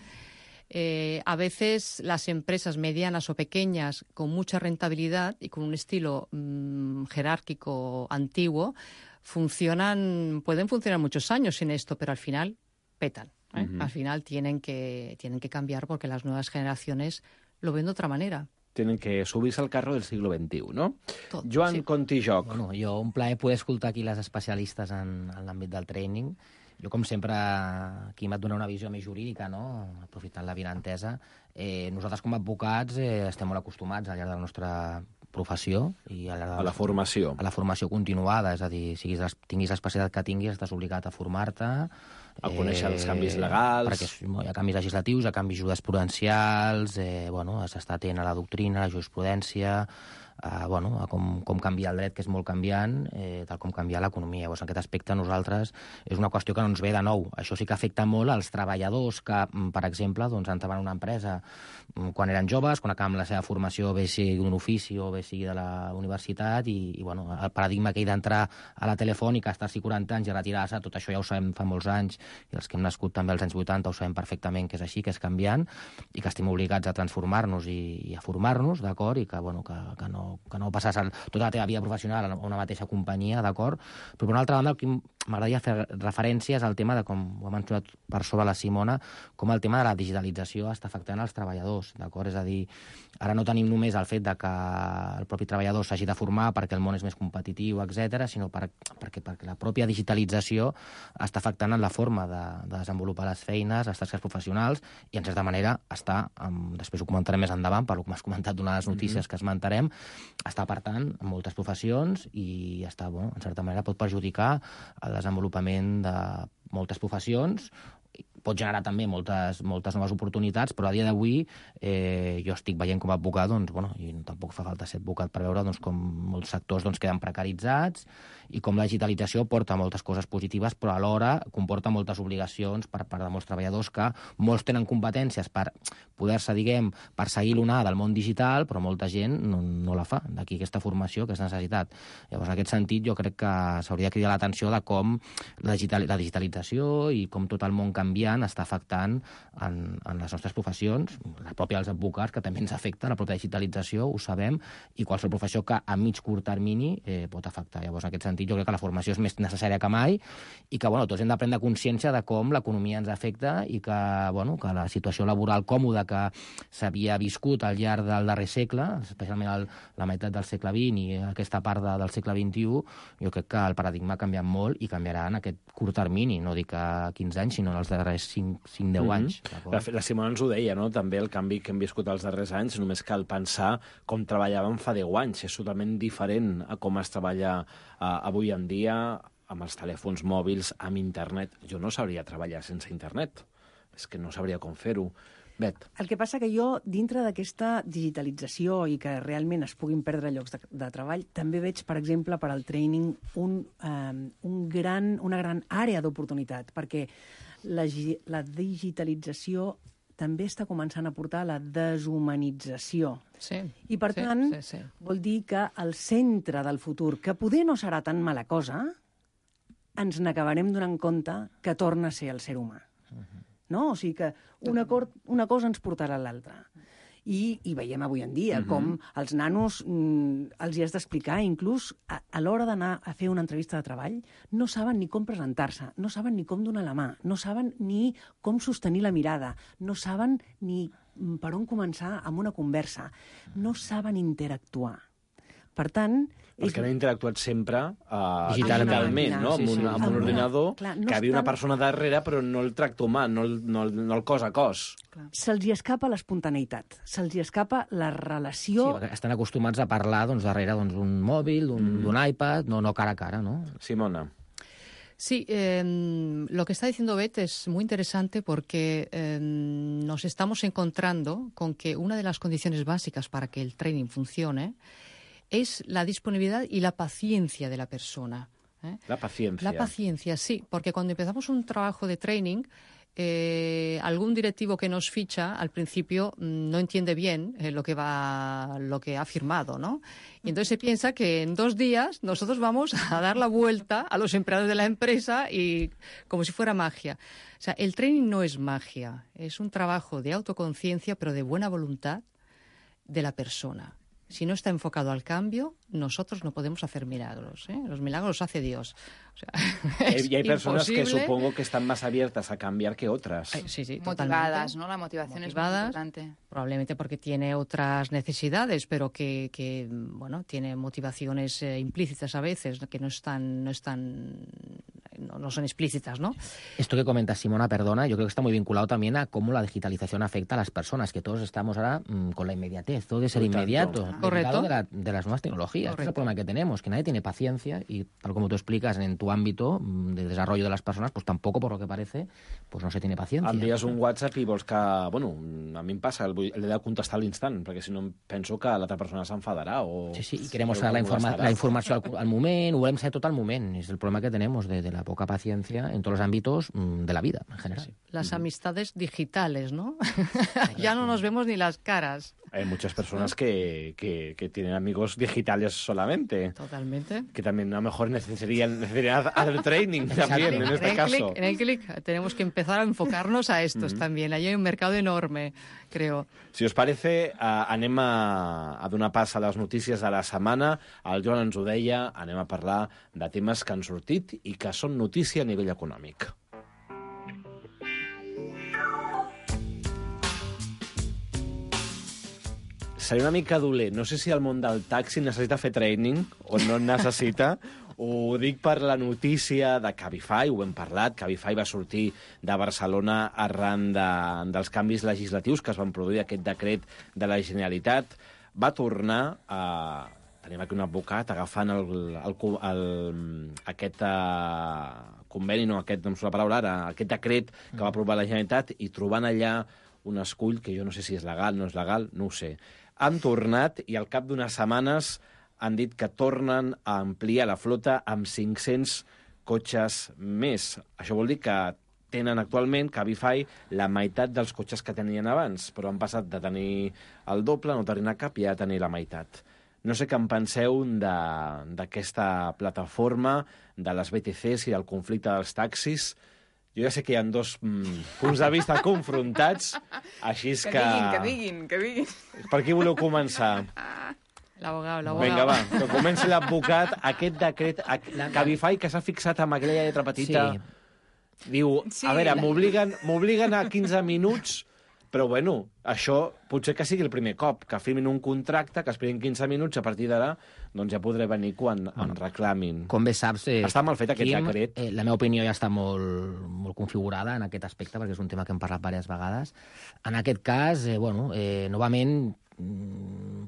S11: Eh, a veces las empresas medianas o pequeñas con mucha rentabilidad y con un estilo mm, jerárquico antiguo funcionan, pueden funcionar muchos años sin esto, pero al final petan. ¿eh? Uh-huh. Al final tienen que, tienen que cambiar porque las nuevas generaciones lo ven de otra manera.
S14: Tienen que subirse al carro del siglo veintiuno, no?
S11: Tot,
S14: Joan
S11: sí.
S14: Contijoc.
S9: Bueno, jo un plaer poder escoltar aquí les especialistes en, en l'àmbit del training. Jo, com sempre, aquí m'ha donat una visió més jurídica, no? Aprofitant la vinentesa. Eh, nosaltres, com a advocats, eh, estem molt acostumats al llarg de la nostra professió i a la,
S14: a la formació.
S9: A la formació continuada, és a dir, siguis, tinguis l'especialitat que tinguis, estàs obligat a formar-te.
S14: A conèixer eh, els canvis legals.
S9: Perquè hi ha canvis legislatius, hi ha canvis jurisprudencials, eh, bueno, has d'estar atent a la doctrina, a la jurisprudència, a, bueno, a com, com canviar el dret, que és molt canviant, eh, tal com canviar l'economia. Llavors, en aquest aspecte, nosaltres, és una qüestió que no ens ve de nou. Això sí que afecta molt als treballadors que, per exemple, doncs, entraven en una empresa quan eren joves, quan acaben la seva formació, bé sigui d'un ofici o bé sigui de la universitat, i, i bueno, el paradigma aquell d'entrar a la telefònica, estar-s'hi quaranta anys i retirar-se, tot això ja ho sabem fa molts anys, i els que hem nascut també als anys vuitanta ho sabem perfectament que és així, que és canviant, i que estem obligats a transformar-nos i, i a formar-nos, d'acord, i que, bueno, que, que no que no passes el, tota la teva vida professional a una mateixa companyia, d'acord? Però, per una altra banda, el que m'agradaria fer referència és al tema de, com ho ha mencionat per sobre la Simona, com el tema de la digitalització està afectant els treballadors, d'acord? És a dir, ara no tenim només el fet de que el propi treballador s'hagi de formar perquè el món és més competitiu, etcètera, sinó per, perquè, perquè la pròpia digitalització està afectant en la forma de, de desenvolupar les feines, les tasques professionals, i, en certa manera, està, um, després ho comentarem més endavant, per lo que m'has comentat d'una de les notícies mm-hmm. que esmentarem, està apartant en moltes professions i està, bueno, en certa manera pot perjudicar el desenvolupament de moltes professions, pot generar també moltes, moltes noves oportunitats, però a dia d'avui eh, jo estic veient com a advocat, doncs, bueno, i tampoc fa falta ser advocat per veure doncs, com molts sectors doncs, queden precaritzats i com la digitalització porta moltes coses positives, però alhora comporta moltes obligacions per part de molts treballadors que molts tenen competències per poder-se, diguem, per seguir l'onada del món digital, però molta gent no, no la fa, d'aquí aquesta formació, aquesta necessitat. Llavors, en aquest sentit, jo crec que s'hauria de cridar l'atenció de com la, digital, la digitalització i com tot el món canviant està afectant en, en les nostres professions, la pròpia dels advocats, que també ens afecta, la pròpia digitalització, ho sabem, i qualsevol professió que a mig curt termini eh, pot afectar. Llavors, en aquest sentit, jo crec que la formació és més necessària que mai i que, bueno, tots hem de prendre consciència de com l'economia ens afecta i que, bueno, que la situació laboral còmoda que s'havia viscut al llarg del darrer segle, especialment el, la meitat del segle vint i aquesta part de, del segle vint-i-u, jo crec que el paradigma ha canviat molt i canviarà en aquest curt termini, no dic a quinze anys, sinó en els darrers només cinc deu
S14: Mm-hmm.
S9: anys.
S14: La, la Simona ens ho deia, no? També el canvi que hem viscut els darrers anys, només cal pensar com treballàvem fa deu anys. És totalment diferent a com es treballa uh, avui en dia amb els telèfons mòbils, amb internet. Jo no sabria treballar sense internet. És que no sabria com fer-ho. Bet.
S16: El que passa que jo, dintre d'aquesta digitalització i que realment es puguin perdre llocs de, de treball, també veig, per exemple, per al training un, um, un gran, una gran àrea d'oportunitat, perquè la, la digitalització també està començant a portar la deshumanització.
S11: Sí,
S16: I, per
S11: sí,
S16: tant,
S11: sí, sí.
S16: vol dir que el centre del futur, que poder no serà tan mala cosa, ens n'acabarem donant compte que torna a ser el ser humà. Uh-huh. No? O sigui que una, cor, una cosa ens portarà a l'altra. I, I veiem avui en dia uh-huh. com els nanos mm, els hi has d'explicar, inclús a, a l'hora d'anar a fer una entrevista de treball, no saben ni com presentar-se, no saben ni com donar la mà, no saben ni com sostenir la mirada, no saben ni per on començar amb una conversa, no saben interactuar. Per tant...
S14: Perquè han interactuat sempre uh,
S9: digitalment,
S14: digitalment, no?
S9: Sí, sí.
S14: Amb un, amb un ordinador, clar, no que hi havia una persona darrere, però no el tracte humà, no el, no el, no el cos a cos.
S16: Se'ls hi escapa l'espontaneïtat, se'ls hi escapa la relació...
S9: Sí, estan acostumats a parlar doncs, darrere d'un doncs, mòbil, d'un mm. iPad, no, no cara a cara, no?
S14: Simona.
S11: Sí, eh, lo que está diciendo Bet es muy interesante porque eh, nos estamos encontrando con que una de las condiciones básicas para que el training funcione es la disponibilidad y la paciencia de la persona. ¿eh?
S14: La paciencia.
S11: La paciencia, sí, porque cuando empezamos un trabajo de training, eh, algún directivo que nos ficha al principio no entiende bien eh, lo que va, lo que ha firmado, ¿no? Y entonces se piensa que en dos días nosotros vamos a dar la vuelta a los empleados de la empresa y como si fuera magia. O sea, el training no es magia, es un trabajo de autoconciencia, pero de buena voluntad de la persona. Si no está enfocado al cambio, nosotros no podemos hacer milagros. ¿eh? Los milagros los hace Dios. O sea, es
S14: y hay personas
S11: imposible.
S14: que supongo que están más abiertas a cambiar que otras.
S11: Ay, sí, sí,
S17: motivadas, ¿no? La motivación
S11: motivadas,
S17: es muy importante.
S11: Probablemente porque tiene otras necesidades, pero que, que bueno, tiene motivaciones eh, implícitas a veces, que no están, no están, no, no son explícitas, ¿no?
S9: Esto que comenta Simona, perdona, yo creo que está muy vinculado también a cómo la digitalización afecta a las personas, que todos estamos ahora mmm, con la inmediatez, todo de ser inmediato,
S11: correcto,
S9: de, la, de las nuevas tecnologías. Este es el problema que tenemos, que nadie tiene paciencia y, tal como tú explicas, en tu ámbito de desarrollo de las personas, pues tampoco, por lo que parece, pues no se tiene paciencia.
S14: Envies un WhatsApp i vols que... Bueno, a mi em passa, el, el he de contestar a l'instant, perquè si no penso que l'altra persona s'enfadarà o...
S9: Sí, sí, i queremos saber la, informa la informació al, al moment, ho volem saber tot al moment. És el problema que tenemos de, de la poca paciencia en todos los ámbitos de la vida, en general. Sí.
S11: Las amistades digitales, ¿no? Ya no nos vemos ni las caras.
S14: Hay muchas personas que, que, que tienen amigos digitales solamente.
S11: Totalmente.
S14: Que también a lo mejor necesitarían, necesitarían hacer training también, en este
S11: en el
S14: caso.
S11: Click, en el clic tenemos que empezar a enfocarnos a estos mm-hmm. también. Allí hay un mercado enorme, creo.
S14: Si us parece, uh, anem a, a donar pas a les notícies de la setmana. El Joan ens ho deia, anem a parlar de temes que han sortit i que són notícia a nivell econòmic. Seria una mica dolent. No sé si el món del taxi necessita fer training o no en necessita. Ho dic per la notícia de Cabify, ho hem parlat. Cabify va sortir de Barcelona arran de, dels canvis legislatius que es van produir, aquest decret de la Generalitat. Va tornar a... Tenim aquí un advocat agafant el, el, el, aquest uh, conveni, no, aquest, no em surt la paraula ara, aquest decret que va aprovar la Generalitat i trobant allà un escull que jo no sé si és legal, no és legal, no ho sé. Han tornat i al cap d'unes setmanes han dit que tornen a ampliar la flota amb cinc-cents cotxes més. Això vol dir que tenen actualment, Cabify, la meitat dels cotxes que tenien abans, però han passat de tenir el doble, no tenir cap, i a tenir la meitat. No sé què en penseu d'aquesta plataforma, de les B T Cs i del conflicte dels taxis. Jo ja sé que hi ha dos mm, punts de vista confrontats, així és que...
S17: Que diguin, que diguin, que diguin.
S14: Per qui voleu començar?
S11: L'abogado, l'abogado.
S14: Vinga, va, que comenci l'advocat. Aquest decret, Cabify, que s'ha fixat amb aquella lletra petita, sí. Diu, sí, a veure, la... m'obliguen a quinze minuts Però, bueno, això potser que sigui el primer cop, que firmin un contracte, que esperin quinze minuts, a partir d'ara doncs ja podré venir quan em reclamin.
S9: Com bé saps... Eh,
S14: està mal fet aquest
S9: Quim,
S14: decret.
S9: Eh, la meva opinió ja està molt, molt configurada en aquest aspecte, perquè és un tema que hem parlat diverses vegades. En aquest cas, eh, bueno, eh, novament,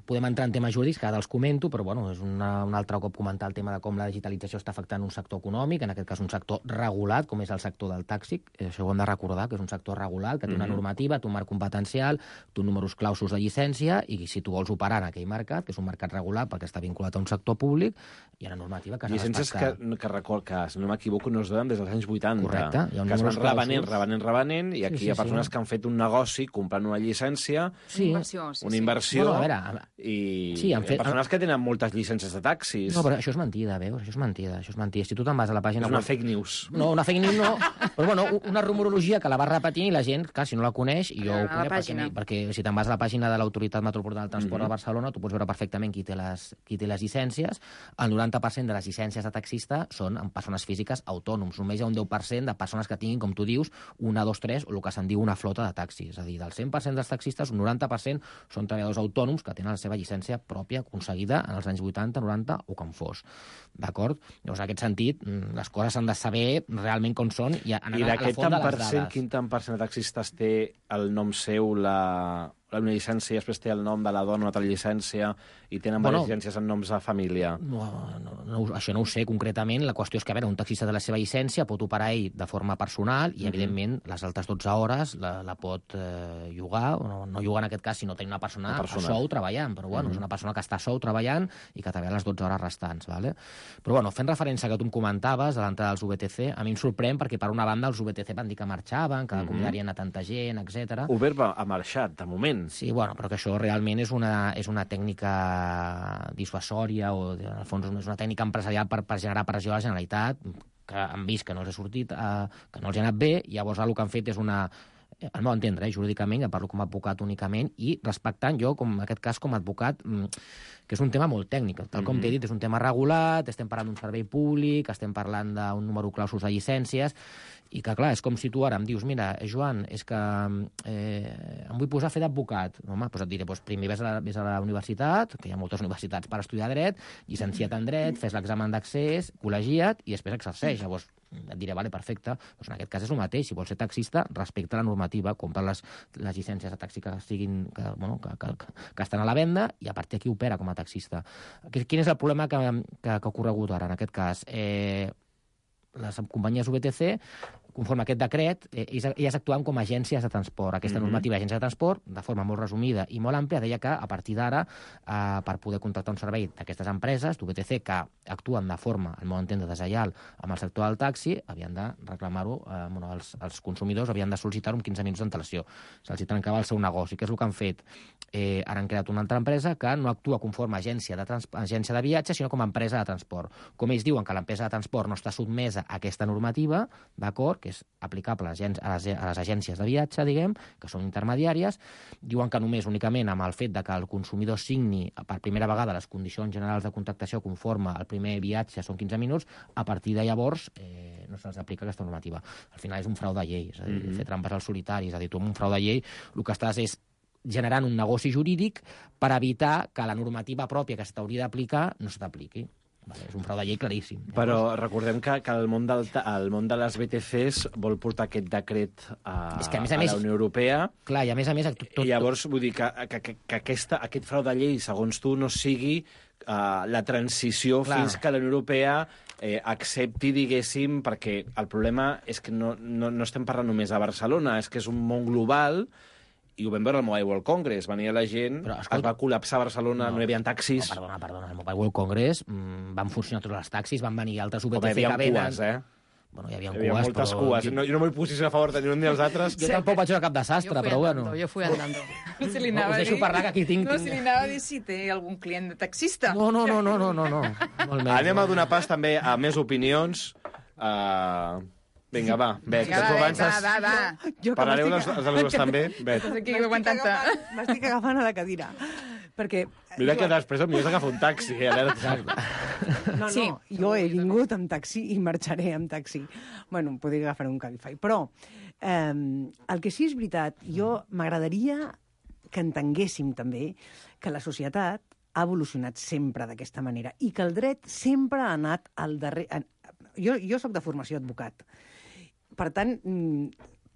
S9: podem entrar en temes jurídics, que ara els comento, però bueno, és una, un altre cop comentar el tema de com la digitalització està afectant un sector econòmic, en aquest cas un sector regulat, com és el sector del taxi. Això ho hem de recordar, que és un sector regulat, que té una normativa, té un marc competencial, té números clausos de llicència, i si tu vols operar en aquell mercat, que és un mercat regulat perquè està vinculat a un sector públic, hi ha una normativa que s'ha de
S14: respectar. Llicències que, que, record, que, si no m'equivoco, no es donen des dels anys vuitanta.
S9: Correcte.
S14: Que es van revenent, revenent, revenent, i aquí sí, sí, hi ha persones sí. que han fet un negoci comprant una llicència,
S17: sí. una inversió, sí,
S14: una inversió
S9: bueno, a veure,
S14: i
S9: sí, han fet...
S14: persones que tenen moltes llicències de taxis.
S9: No, però això és mentida, veus? Això és mentida, això és mentida. Si tu te'n vas a la pàgina...
S14: És una fake news.
S9: No, una fake news no, però bueno, una rumorologia que la va repetint i la gent, clar, si no la coneix, i jo ho conec, perquè, perquè si te'n vas a la pàgina de l'Autoritat Metropolitana del Transport mm -hmm. de Barcelona, tu pots veure perfectament qui té les, qui té les llicències. El noranta per cent de les llicències de taxista són en persones físiques autònoms. Només hi ha un deu per cent de persones que tinguin, com tu dius, una, dos, tres, o el que se'n diu una flota de taxis. És a dir, del cent per cent dels taxistes, un noranta per cent són treballadors autònoms que tenen la seva llicència pròpia aconseguida en els anys vuitanta, noranta o com fos. D'acord? Llavors, en aquest sentit, les coses s'han de saber realment com són i anar
S14: I
S9: a la font de les dades.
S14: Quin tant per cent de taxistes té el nom seu, la... una llicència i després té el nom de la dona, una altra llicència, i tenen bueno, diverses llicències en noms de família.
S9: No, no, no, això no ho sé concretament. La qüestió és que, a veure, un taxista de la seva llicència pot operar ell de forma personal i, mm-hmm. evidentment, les altres dotze hores la, la pot eh, llogar, o no, no llogar en aquest cas, sinó tenir una persona, una persona. a sou treballant, però bueno, mm-hmm. és una persona que està a sou treballant i que treballa les dotze hores restants. Vale? Però bueno, fent referència que tu em comentaves, a l'entrada dels U B T C, a mi em sorprèn perquè, per una banda, els U B T C van dir que marxaven, que mm-hmm. convidarien a tanta gent, etcètera.
S14: Uber va, ha marxat, de moment.
S9: Sí, bueno, però que això realment és una, és una tècnica dissuasòria o, en el fons, és una tècnica empresarial per, per generar pressió a la Generalitat, que han vist que no els ha sortit, eh, que no els ha anat bé, i llavors el que han fet és una... al meu entendre, eh, jurídicament, ja parlo com a advocat únicament, i respectant jo, com en aquest cas, com a advocat, que és un tema molt tècnic. Tal com mm-hmm. t'he dit, és un tema regulat, estem parlant d'un servei públic, estem parlant d'un número clausos de llicències, i que, clar, és com si tu ara em dius, mira, Joan, és que eh, em vull posar a fer d'advocat. Home, doncs et diré, doncs primer ves a, la, ves a la universitat, que hi ha moltes universitats per estudiar dret, llicenciat en dret, fes l'examen d'accés, col·legia't, i després exerceix. Llavors, et diré, vale, perfecte, doncs en aquest cas és el mateix. Si vols ser taxista, respecta la normativa, compra les, les llicències de taxi que, siguin, que, bueno, que, que, que estan a la venda, i a partir d'aquí opera com a taxista. Quin és el problema que, que, que ha ocorregut ara, en aquest cas? Eh, les companyies U B T C, conforme a aquest decret, eh, elles actuen com a agències de transport. Aquesta mm-hmm. normativa d'agència de transport, de forma molt resumida i molt àmplia, deia que a partir d'ara, eh, per poder contractar un servei d'aquestes empreses, d'U B T C, que actuen de forma, al meu entendre, deslleial amb el sector del taxi, havien de reclamar-ho, eh, bueno, els, els consumidors havien de sol·licitar-ho amb quinze minuts d'antelació. Se'ls trencava el seu negoci. Què és el que han fet? Eh, ara han creat una altra empresa que no actua conforme a agència de, trans... agència de viatge, sinó com a empresa de transport. Com ells diuen que l'empresa de transport no està sotmesa a aquesta normativa, d'acord, que és aplicable a les, a les agències de viatge, diguem, que són intermediàries, diuen que només únicament amb el fet de que el consumidor signi per primera vegada les condicions generals de contractació conforme al primer viatge són quinze minuts, a partir de llavors eh, no se'ls aplica aquesta normativa. Al final és un frau de llei, és a dir, mm-hmm. fer trampes al solitari, és a dir, tu amb un frau de llei el que estàs és generant un negoci jurídic per evitar que la normativa pròpia que s'hauria d'aplicar no se t'apliqui. Vale, és un frau de llei claríssim.
S14: Però recordem que, que el, món del, el món de les B T Cs vol portar aquest decret a, és que, a, més a, a més, la Unió Europea.
S9: Clar, i a més a més... Tot, tot,
S14: I llavors, vull dir que, que, que, que aquesta, aquest frau de llei, segons tu, no sigui uh, la transició clar. Fins que la Unió Europea eh, accepti, diguéssim, perquè el problema és que no, no, no estem parlant només a Barcelona, és que és un món global. I ho vam veure al Mobile World Congress. Venia la gent, però, escolta, es va col·lapsar a Barcelona, no, no hi havia taxis...
S9: No, perdona, perdona, al Mobile World Congress mmm, van funcionar tots els taxis, van venir altres U B T C que venen...
S14: Cues, eh?
S9: Bueno, hi havia,
S14: hi havia
S9: cues,
S14: moltes
S9: però...
S14: cues. No, jo no m'hi posiciono a favor de ni un ni els altres.
S9: Jo tampoc vaig veure cap desastre, però
S17: andando,
S9: bueno...
S17: Jo fui andando. No se li anava
S9: no, us deixo parlar, que aquí tinc...
S17: No se li anava a dir si té algun client de taxista.
S9: No, no, no, no, no, no. no. Molt
S14: menys, Anem no. a donar pas també a més opinions. Uh... Vinga, va, Bet, que tu avances...
S17: Va, va, va.
S14: Parlareu dels alumnes també? Bet.
S16: M'estic agafant a la cadira. Perquè...
S14: Mira que després el millor és agafar un taxi. Eh?
S16: No, no, sí. Jo he vingut amb taxi i marxaré amb taxi. Bueno, podria agafar un Cabify. Però Eh, el que sí és veritat, jo m'agradaria que entenguéssim també que la societat ha evolucionat sempre d'aquesta manera i que el dret sempre ha anat al darrere... Jo, jo sóc de formació advocat. Per tant,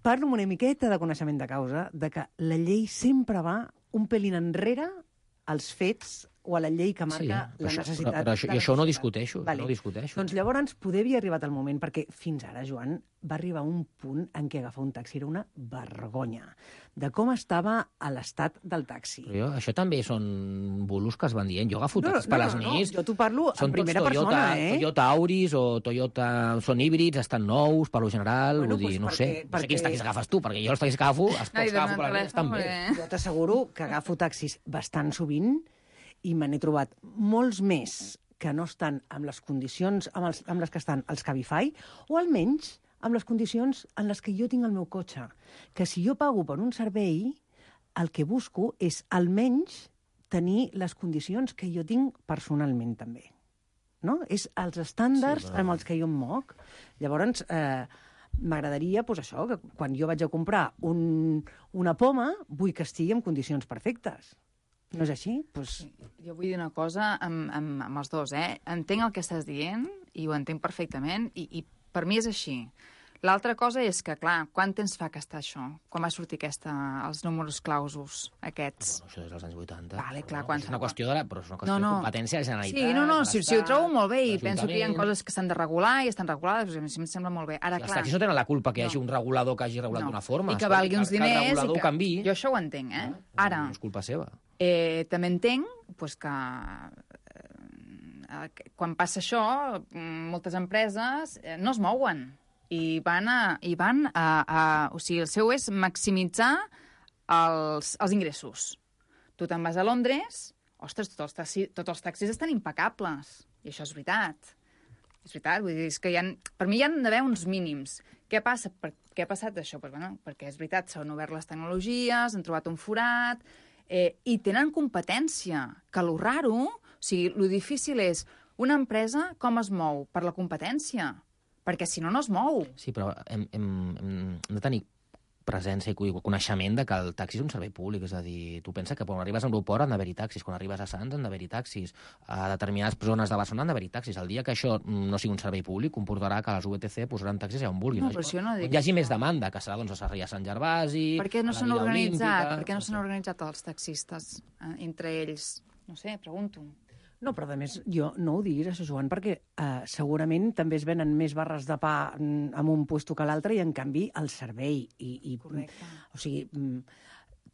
S16: parlo amb una miqueta de coneixement de causa de que la llei sempre va un pelín enrere als fets o a la llei que marca
S9: sí,
S16: la
S9: això,
S16: necessitat.
S9: Però, però això,
S16: I
S9: això no discuteixo, vale. no discuteixo.
S16: Doncs llavors poder havia arribat el moment, perquè fins ara, Joan, va arribar un punt en què agafar un taxi era una vergonya de com estava a l'estat del taxi.
S9: Però jo, això també són bulos que es van dient. Jo agafo
S16: no,
S9: taxis
S16: no,
S9: per les
S16: no,
S9: nits.
S16: No, jo t'ho parlo en primera
S9: Toyota,
S16: persona, eh?
S9: Toyota Auris o Toyota... Són híbrids, estan nous, per lo general,
S16: bueno,
S9: vull dir,
S16: pues
S9: no
S16: perquè,
S9: sé. No
S16: perquè...
S9: sé quins taxis agafes tu, perquè jo els taxis que agafo, els pocs que agafo per les nits estan bé.
S16: Jo t'asseguro que agafo taxis bastant sovint i me n'he trobat molts més que no estan amb les condicions amb, els, amb les que estan els Cabify, o almenys amb les condicions en les que jo tinc el meu cotxe. Que si jo pago per un servei, el que busco és almenys tenir les condicions que jo tinc personalment també. No? És els estàndards sí, però... amb els que jo em moc. Llavors, eh, m'agradaria, doncs això, que quan jo vaig a comprar un, una poma, vull que estigui en condicions perfectes. No és així? Pues...
S17: Jo vull dir una cosa amb, amb, amb els dos, eh? Entenc el que estàs dient i ho entenc perfectament i, i per mi és així. L'altra cosa és que, clar, quant temps fa que està això? Quan va sortir aquesta, els números clausos aquests?
S9: No, això és dels anys vuitanta.
S17: Vale, clar,
S9: no,
S17: quan...
S9: És una qüestió de, la, però és una qüestió
S17: no, no.
S9: de competència de la Generalitat.
S17: Sí, no, no, si, si ho trobo molt bé i penso que hi ha coses que s'han de regular i estan regulades, doncs em sembla molt bé. Ara,
S9: els
S17: clar...
S9: taxis no tenen la culpa que hi hagi no. un regulador que hagi regulat
S17: no.
S9: d'una forma.
S17: I que valgui uns diners...
S9: Que el regulador
S17: i que...
S9: canvi.
S17: Jo això ho entenc, eh?
S9: No,
S17: Ara...
S9: No és culpa seva.
S17: Eh, també entenc pues, que eh, quan passa això, moltes empreses eh, no es mouen i van, a, i van a, a... O sigui, el seu és maximitzar els, els ingressos. Tu te'n vas a Londres, ostres, tots els, taxi, tots els taxis estan impecables. I això és veritat. És veritat, vull dir, és que hi ha, per mi hi ha d'haver uns mínims. Què passa? Per, què ha passat això? Pues, bueno, perquè és veritat, s'han obert les tecnologies, han trobat un forat... Eh, i tenen competència, que lo raro, o sigui, lo difícil és una empresa com es mou per la competència, perquè si no, no es mou.
S9: Sí, però hem, hem, hem de tenir presència i coneixement de que el taxi és un servei públic, és a dir, tu pensa que quan arribes a l'aeroport han d'haver-hi taxis, quan arribes a Sants han d'haver-hi taxis, a determinades zones de Barcelona han d'haver-hi taxis. El dia que això no sigui un servei públic comportarà que les U E T C posaran taxis allà on vulguin.
S17: No, però això no dic...
S9: Hi hagi més demanda, que serà doncs, a Sarrià Sant Gervasi...
S17: Per què no
S9: s'han
S17: organitzat? Per què no s'han organitzat els taxistes eh, entre ells? No sé, pregunto.
S16: No, però a més, jo no ho diguis, això, Joan, perquè eh, segurament també es venen més barres de pa en un puesto que l'altre i, en canvi, el servei. I, i,
S17: Correcte.
S16: O sigui,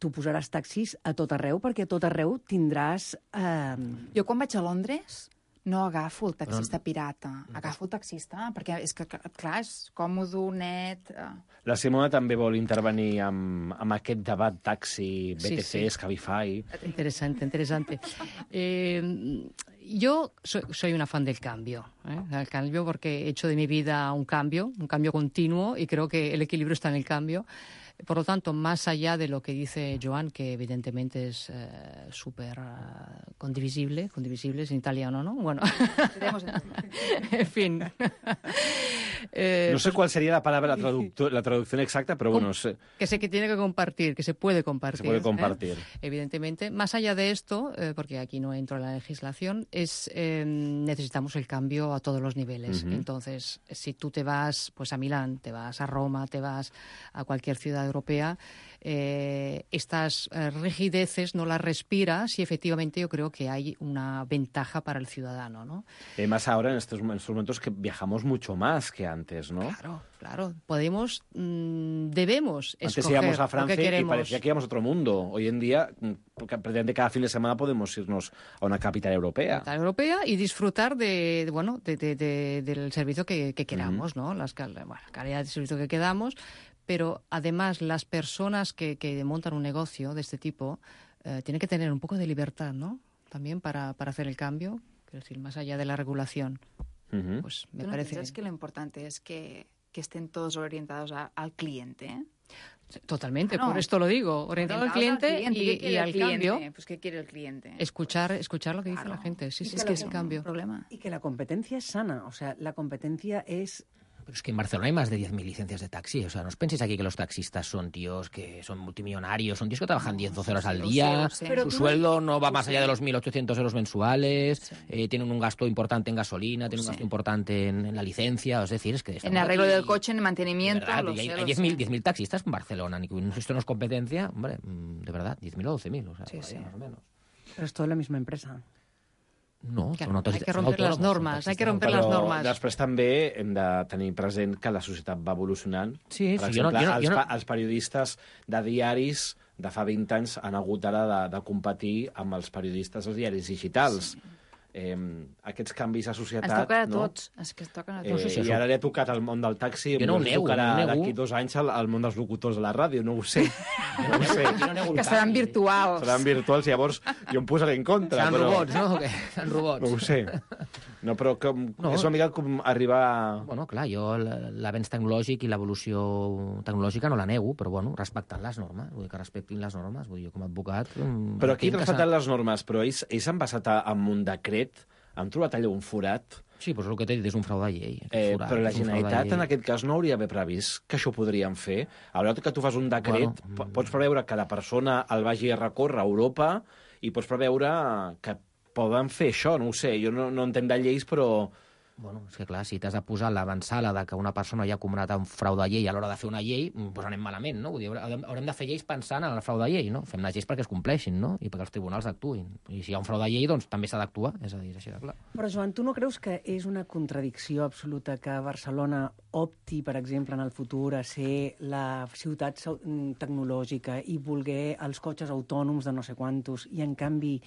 S16: tu posaràs taxis a tot arreu perquè a tot arreu tindràs... Eh...
S17: Jo quan vaig a Londres no agafo el taxista però... pirata, agafo el taxista, perquè és que, clar, és còmode, net...
S14: La Simona també vol intervenir amb, amb aquest debat taxi, B T C,
S11: sí, sí.
S14: Cabify...
S11: Interesante, interesante. Eh, yo soy, soy una fan del cambio, ¿eh? Del cambio porque he hecho de mi vida un cambio, un cambio continuo, y creo que el equilibrio está en el cambio. Por lo tanto, más allá de lo que dice Joan, que evidentemente es eh, súper uh, condivisible, condivisible es en italiano, ¿no? Bueno, en fin.
S14: eh, no sé cuál sería la palabra, la, traduc la traducción exacta, pero bueno, sé.
S11: Que sé que tiene que compartir, que se puede compartir.
S14: Se puede compartir.
S11: ¿eh? Evidentemente. Más allá de esto, eh, porque aquí no entro en la legislación, es eh, necesitamos el cambio a todos los niveles. Uh-huh. Entonces, si tú te vas pues a Milán, te vas a Roma, te vas a cualquier ciudad europea, eh, estas eh, rigideces no las respiras y efectivamente yo creo que hay una ventaja para el ciudadano, ¿no?
S14: Y más ahora en estos, en estos momentos que viajamos mucho más que antes, ¿no?
S11: Claro, claro. Podemos, mmm, debemos
S14: antes
S11: escoger
S14: íbamos a Francia
S11: lo que queremos.
S14: Y parecía que íbamos a otro mundo. Hoy en día, prácticamente cada fin de semana podemos irnos a una capital europea.
S11: Capital europea y disfrutar de, de bueno, de, de, de, del servicio que, que queramos,
S14: uh-huh.
S11: ¿no? Las, bueno, la calidad de servicio que quedamos. Pero además las personas que, que montan un negocio de este tipo eh, tienen que tener un poco de libertad, ¿no? También para, para hacer el cambio, es decir, más allá de la regulación. Uh-huh. Pues me
S17: ¿Tú no
S11: parece
S17: piensas que lo importante es que, que estén todos orientados a, al cliente?
S11: Totalmente,
S17: no.
S11: por esto lo digo, orientado al cliente,
S17: al cliente
S11: y, y al
S17: cliente?
S11: cambio.
S17: Pues ¿qué quiere el cliente?
S11: Escuchar, escuchar lo que
S17: claro.
S11: dice la gente, sí,
S16: y
S11: sí,
S16: que
S11: es que es el cambio.
S17: Problema.
S16: Y que la competencia es sana, o sea, la competencia es
S9: Pero es que en Barcelona hay más de diez mil licencias de taxi. O sea, no os penséis aquí que los taxistas son tíos que son multimillonarios, son tíos que trabajan diez, doce horas al día,
S17: sí, sí.
S9: su sueldo no va más allá de los mil ochocientos euros mensuales,
S17: Sí.
S9: eh, tienen un gasto importante en gasolina, tienen un
S17: Sí.
S9: gasto importante en, en la licencia, es decir, es que...
S17: En
S9: estamos
S17: arreglo
S9: aquí-
S17: del coche, en mantenimiento,
S9: ¿verdad?
S17: lo
S9: Y hay,
S17: sé,
S9: hay
S17: lo
S9: diez mil
S17: sé.
S9: diez mil taxistas en Barcelona, ni que esto no es competencia, hombre, mm, de verdad, diez mil o doce mil, o sea,
S17: Sí,
S9: por ahí,
S17: sí.
S9: más o menos.
S16: Pero es toda la misma empresa.
S9: No,
S11: Claro,
S9: són
S11: hay
S9: taxistes-
S11: que
S9: són
S11: romper las
S9: autònoms, són
S11: normes, hay que
S9: taxistes
S11: romper
S14: Però
S11: las normes.
S14: després també hem de tenir present que la societat va evolucionant.
S9: Sí,
S14: per
S9: sí, jo no-
S14: exemple,
S9: jo no-
S14: els,
S9: jo no-
S14: pa- els periodistes de diaris de fa vint anys han hagut ara de, de competir amb els periodistes dels diaris digitals. Sí. Eh, aquests canvis a societat...
S17: Ens toca a
S14: no?
S17: tots, és que es toquen a
S14: Eh,
S17: tots.
S9: sí, sí,
S14: I
S9: això-
S14: ara li ha tocat el món del taxi,
S9: Jo no ho
S14: potser
S9: nego,
S14: tocarà
S9: no ho nego.
S14: d'aquí dos anys al, al món dels locutors de la ràdio, no ho sé. No ho sé.
S9: Jo no nego el
S17: Que seran
S9: canvi.
S17: virtuals.
S14: Seran virtuals, llavors jo em posaré en contra.
S9: Seran
S14: però...
S9: robots, no? Que seran robots.
S14: No ho sé. No, però com,
S9: No.
S14: és una mica com arribar...
S9: Bueno, clar, jo l- l'avenç tecnològic i l'evolució tecnològica no la nego, però bueno, respectant les normes, vull dir que respectin les normes, vull dir, jo com a advocat... mm,
S14: Però aquí
S9: entenc que
S14: respectant
S9: s'ha-
S14: les normes, però ells, ells han basat a- amb un decret, han trobat allà un forat,
S9: Sí, però és el que t'he dit, és un frau de llei. aquest
S14: eh,
S9: forat,
S14: però la
S9: és un frau de
S14: Generalitat
S9: llei.
S14: en aquest cas no hauria d'haver previst que això ho podrien fer. A l'hora que tu fas un decret,
S9: Bueno,
S14: bueno, pots preveure que la persona el vagi a recórrer a Europa i pots preveure que poden fer això, no ho sé, jo no, no entenc de lleis, però...
S9: Bueno, és que clar, si t'has de posar l'avançala de que una persona ja ha comunat un frau de llei a l'hora de fer una llei, doncs anem malament, no? Vull dir, haurem haurem de fer lleis pensant en el frau de llei, no? Fem les lleis perquè es compleixin, no? I perquè els tribunals actuïn. I si hi ha un frau de llei, doncs també s'ha d'actuar, és a dir, és així de clar.
S16: Però, Joan, tu no creus que és una contradicció absoluta que Barcelona opti, per exemple, en el futur a ser la ciutat sau- tecnològica i voler els cotxes autònoms de no sé quantos i, en canvi,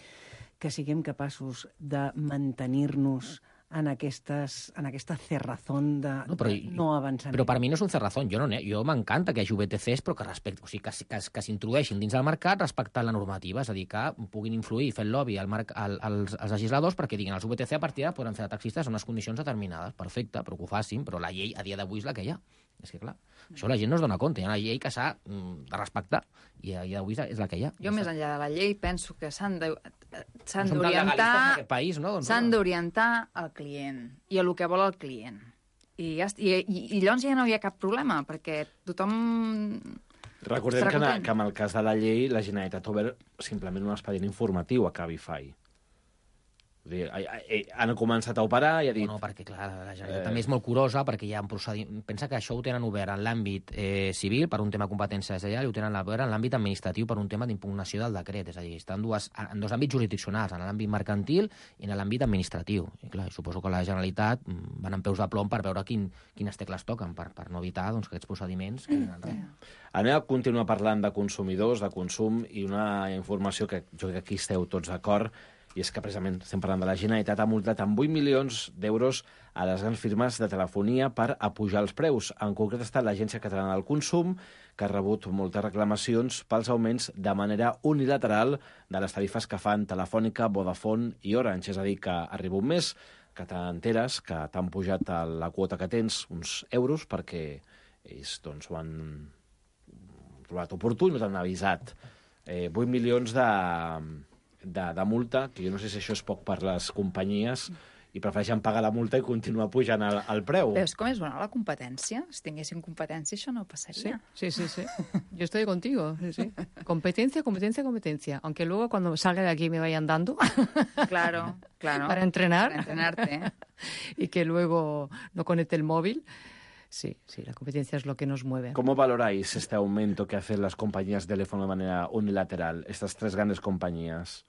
S16: que siguem capaços de mantenir-nos en, aquestes, en aquesta cerrazón de no,
S9: però,
S16: de no avançar.
S9: Però per mi no és un cerrazón. Jo, no, jo m'encanta que hi hagi V T Cs, però que, respecte, o sigui, que, que, que s'introdueixin dins del mercat respectant la normativa, és a dir, que puguin influir, fer el lobby al marc, al, als, als legisladors perquè diguin els V T C a partir d'ara poden fer de taxistes en unes condicions determinades. Perfecte, però que ho facin, però la llei a dia d'avui és la que hi ha. És que, clar, això la gent no es dona compte. Hi ha una llei que s'ha mm, de respectar i a dia d'avui és la que hi ha.
S17: Jo, més enllà de la llei, penso que s'han de- s'han
S9: No som tan legalistes en
S17: d'orientar
S9: aquest país, no? Doncs,
S17: s'han
S9: no.
S17: d'orientar al client i a el que vol el client. I, ja, est- i, i, i llavors ja no hi ha cap problema, perquè tothom...
S14: Recordem
S17: estarà
S14: que, en,
S17: content.
S14: que en el cas de la llei la Generalitat ha obert simplement un expedient informatiu a Cabify. Vull dir, eh, eh, han començat a operar i ha dit...
S9: No, perquè, clar, la Generalitat
S14: Eh.
S9: també és molt curosa perquè hi ha un procediment... Pensa que això ho tenen obert en l'àmbit eh, civil per un tema de competència desllellal i ho tenen obert en l'àmbit administratiu per un tema d'impugnació del decret. És a dir, està en, dues, en dos àmbits jurisdiccionals, en l'àmbit mercantil i en l'àmbit administratiu. I clar, suposo que la Generalitat mm, van amb peus de plom per veure quin, quines tecles toquen, per, per no evitar doncs, que aquests procediments... Que
S14: Anem a continuar parlant de consumidors, de consum, i una informació que jo crec que aquí esteu tots d'acord, i és que precisament estem parlant de la Generalitat, ha multat amb vuit milions d'euros a les grans firmes de telefonia per apujar els preus. En concret ha estat l'Agència Catalana del Consum, que ha rebut moltes reclamacions pels augments de manera unilateral de les tarifes que fan Telefònica, Vodafone i Orange. És a dir, que arriba un mes que t'enteres que t'han pujat a la quota que tens uns euros perquè ells doncs, ho han trobat oportú i no t'han avisat. Eh, vuit milions de, de, de multa, que jo no sé si això és poc per les companyies, i prefereixen pagar la multa i continuar pujant el, el preu.
S17: Veus com és bona la competència? Si tinguéssim competència, això no passaria.
S11: Sí, sí, sí. Yo estoy contigo. Sí, sí. Competencia, competencia, competencia. Aunque luego cuando salga de aquí me vayan dando.
S17: Claro, claro.
S11: Para entrenar.
S17: Para entrenarte.
S11: Y que luego no conecte el móvil. Sí, sí, la competencia es lo que nos mueve.
S14: ¿Cómo valoráis este aumento que hacen las compañías de teléfono de manera unilateral, estas tres grandes compañías?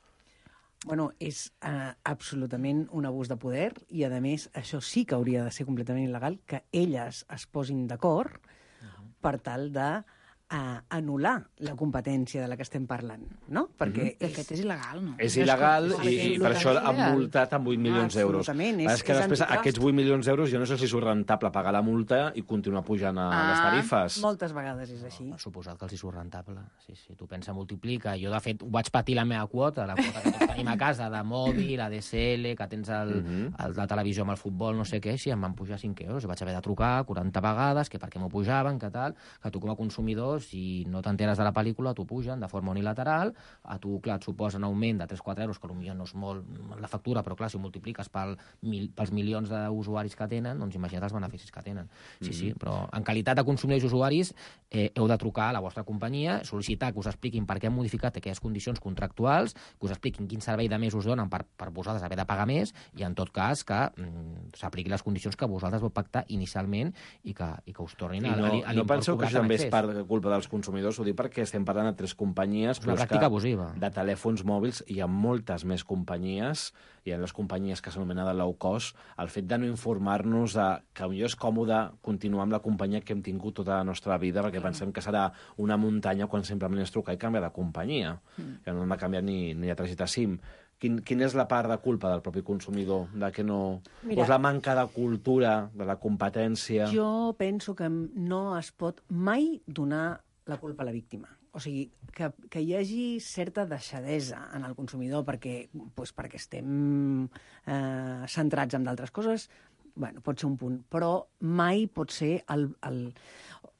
S16: Bueno, és uh, absolutament un abús de poder i, a més, això sí que hauria de ser completament il·legal, que elles es posin d'acord uh-huh. per tal de uh, anul·lar la competència de la que estem parlant, no? Perquè
S17: De fet, és il·legal, no?
S14: És il·legal
S16: és
S14: i, i per això han multat amb vuit milions
S16: Ah,
S14: d'euros.
S16: absolutament, és-
S14: És que
S16: és
S14: després
S16: antitrust.
S14: aquests vuit milions d'euros jo no sé si és rentable pagar la multa i continuar pujant a
S16: Ah,
S14: les tarifes.
S16: Moltes vegades és així.
S9: Ha suposat que els hi surt rentable. Sí, sí, tu pensa, multiplica. Jo, de fet, ho vaig patir la meva quota, la quota que tots tenim a casa, de mòbil, A D S L, que tens el,
S14: Mhm.
S9: el, la televisió amb el futbol, no sé què, si em van pujar cinc euros. I vaig haver de trucar quaranta vegades, que per què m'ho pujaven, que tal, que tu com a consumidor si no t'enteres de la pel·lícula, t'ho pugen de forma unilateral, a tu, clar, et suposa un augment de tres o quatre euros, que potser no és molt la factura, però clar, si ho multipliques pel, mil, pels milions d'usuaris que tenen, doncs imagina't els beneficis que tenen. Sí, sí, però en qualitat de consumidors i usuaris eh, heu de trucar a la vostra companyia, sol·licitar que us expliquin per què han modificat aquelles condicions contractuals, que us expliquin quin servei de més us donen per, per vosaltres haver de pagar més, i en tot cas que mm, s'apliqui les condicions que vosaltres vau pactar inicialment i que, i que us tornin a,
S14: no,
S9: a, a
S14: no penseu que això també és
S9: accés.
S14: per culpa dels consumidors, ho dic perquè estem parlant de tres companyies,
S9: és una pràctica abusiva.
S14: De telèfons mòbils hi ha moltes més companyies, hi ha les companyies que s'anomenen de low cost, el fet de no informar-nos de que potser és còmode continuar amb la companyia que hem tingut tota la nostra vida, perquè pensem que serà una muntanya quan simplement es truca i canvia de companyia, mm. que no hem de canviar ni, ni de targeta SIM. Quin, quina és la part de culpa del propi consumidor? De que no... Mira, pues la manca de cultura, de la competència...
S16: Jo penso que no es pot mai donar la culpa a la víctima. O sigui, que, que hi hagi certa deixadesa en el consumidor perquè, pues, perquè estem eh, centrats en d'altres coses, bueno, pot ser un punt, però mai pot ser el, el,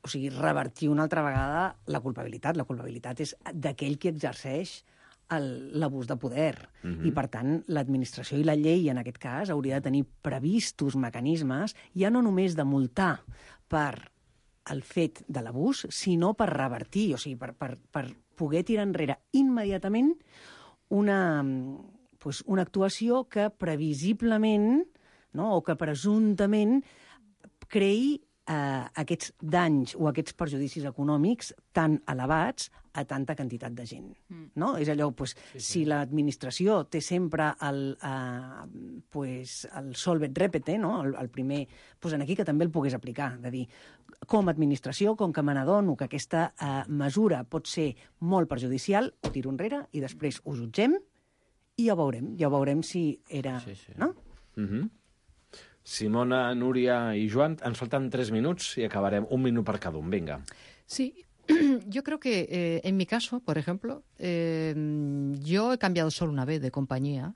S16: o sigui, revertir una altra vegada la culpabilitat. La culpabilitat és d'aquell qui exerceix l'abús de poder. Mm-hmm. I, per tant, l'administració i la llei, en aquest cas, hauria de tenir previstos mecanismes, ja no només de multar per el fet de l'abús, sinó per revertir, o sigui, per, per, per poder tirar enrere immediatament una, pues, una actuació que previsiblement, no, o que presumptament creï eh, aquests danys o aquests perjudicis econòmics tan elevats a tanta quantitat de gent. Mm. No? És allò, pues, sí, sí. Si l'administració té sempre el, eh, pues, el solvet repete, no? el, el primer, pues, en aquí que també el pogués aplicar, de dir, com a administració, com que me n'adono que aquesta eh, mesura pot ser molt perjudicial, ho tiro enrere i després ho jutgem i ja veurem, ja veurem si era... Sí, sí. No?
S14: Mm-hmm. Simona, Núria i Joan, ens faltan tres minuts i acabarem. Un minut per cada un, vinga.
S11: Sí, yo creo que eh, en mi caso, por ejemplo, eh, yo he cambiado solo una vez de compañía,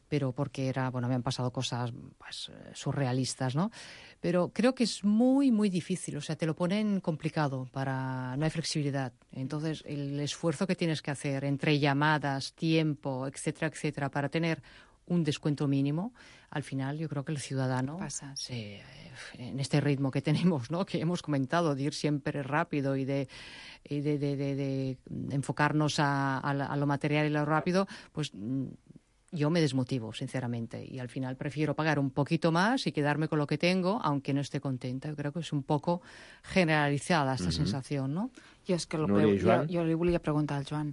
S11: pero porque era, bueno, me han pasado cosas pues, surrealistas, ¿no? Pero creo que es muy, muy difícil, o sea, te lo ponen complicado, para no hay flexibilidad. Entonces, el esfuerzo que tienes que hacer entre llamadas, tiempo, etcétera, etcétera, para tener un descuento mínimo, al final yo creo que el ciudadano,
S17: pasa, sí.
S11: eh, en este ritmo que tenemos, ¿no? Que hemos comentado, de ir siempre rápido y de, y de, de, de, de enfocarnos a, a, a lo material y lo rápido, pues yo me desmotivo, sinceramente, y al final prefiero pagar un poquito más y quedarme con lo que tengo, aunque no esté contenta. Yo creo que es un poco generalizada esta uh-huh. sensació, no?
S17: Jo és que lo no, jo, jo li volia preguntar al Joan,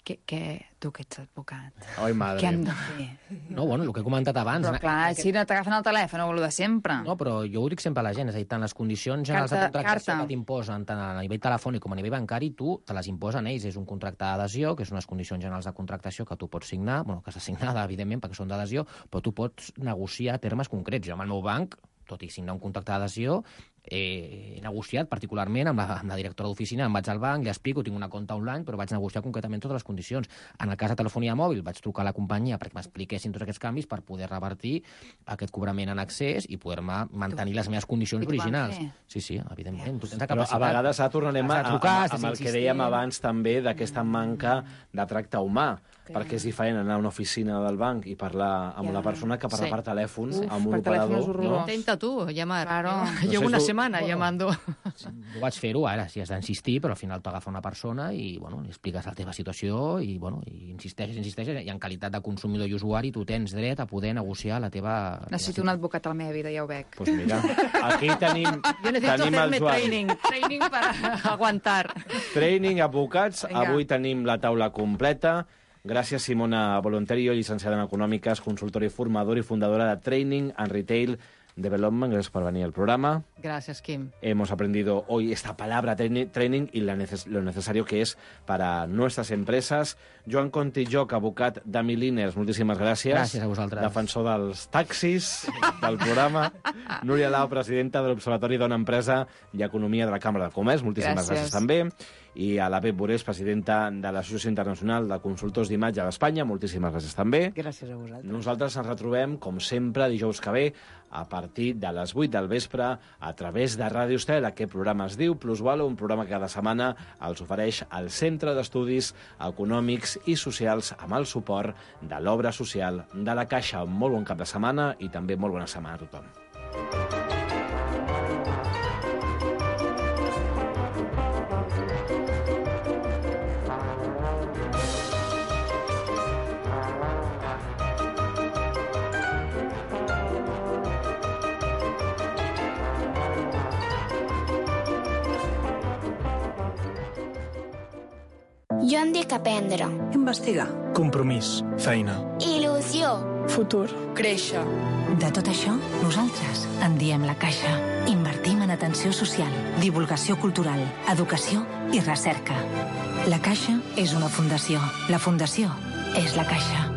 S17: què, què, tu que ets advocat,
S14: Ai, madre.
S17: què hem de fer?
S9: No, bueno, el que he comentat abans...
S17: Però clar, si no t'agafen el telèfon, o el de sempre.
S9: No, però jo ho dic sempre a la gent, és a dir, tant les condicions generals de contractació que t'imposen, tant a nivell telefònic com a nivell bancari, tu te les imposen ells. És un contracte d'adhesió, que és unes condicions generals de contractació que tu pots signar, bueno, que s'ha signada, evidentment, perquè són d'adhesió, però tu pots negociar termes concrets. Jo amb el meu banc, tot i signar un contracte d'adhesió, he negociat particularment amb la, amb la directora d'oficina, em vaig al banc, li explico, tinc una compte online, però vaig negociar concretament totes les condicions. En el cas de telefonia mòbil vaig trucar a la companyia perquè m'expliquessin tots aquests canvis per poder revertir aquest cobrament en accés i poder-me mantenir les meves condicions originals. Sí, sí, evidentment. Tu tens la capacitat.
S14: Però a vegades ara tornarem a, a,
S9: trucar,
S14: a, amb el que dèiem abans també d'aquesta manca de tracte humà, perquè és diferent anar a una oficina del banc i parlar amb ja. una persona que parlar sí. per telèfon
S11: Uf,
S14: amb un
S11: per
S14: operador.
S11: No? Intenta tu llamar. Claro.
S14: No
S11: Llevo
S14: sé,
S11: una
S14: tu...
S11: setmana bueno, llamando.
S9: Jo vaig fer-ho ara, si has d'insistir, però al final t'agafa una persona i bueno, li expliques la teva situació i, bueno, i insisteixes, insisteixes, i en qualitat de consumidor i usuari tu tens dret a poder negociar la teva...
S17: Necessito un advocat a la meva vida, ja ho veig.
S14: Pues mira, aquí tenim,
S11: jo necesito
S14: tenim el Joan.
S11: Training, training para aguantar.
S14: Training, advocats. Venga. Avui tenim la taula completa. Gràcies, Simona Voluntario, llicenciada en Econòmiques, consultora i formadora i fundadora de Training and Retail Development. Gracias por venir al programa.
S11: Gracias, Kim.
S14: Hemos aprendido hoy esta palabra training y la neces lo necesario que es para nuestras empresas. Joan Contilloc, abocat de Milliners, moltíssimes gràcies.
S9: Gràcies a vosaltres.
S14: Defensor dels taxis del programa. Núria Lau, presidenta de l'Observatori Dona Empresa i Economia de la Cambra de Comerç, moltíssimes gràcies, gràcies també. I a la Pep Borés, presidenta de l'Associació Internacional de Consultors d'Imatge d'Espanya, moltíssimes gràcies també.
S16: Gràcies a vosaltres.
S14: Nosaltres ens retrobem, com sempre, dijous que ve, a partir de les vuit del vespre, a a través de Ràdio Estel. Aquest programa es diu Plusvalor, un programa que cada setmana els ofereix el Centre d'Estudis Econòmics i Socials amb el suport de l'obra social de la Caixa. Molt bon cap de setmana i també molt bona setmana a tothom.
S8: Jo em dic aprendre.
S16: Investigar.
S10: Compromís. Feina.
S8: Il·lusió.
S2: Futur.
S12: Créixer. De tot això, nosaltres en diem la Caixa. Invertim en atenció social, divulgació cultural, educació i recerca. La Caixa és una fundació. La fundació és la Caixa.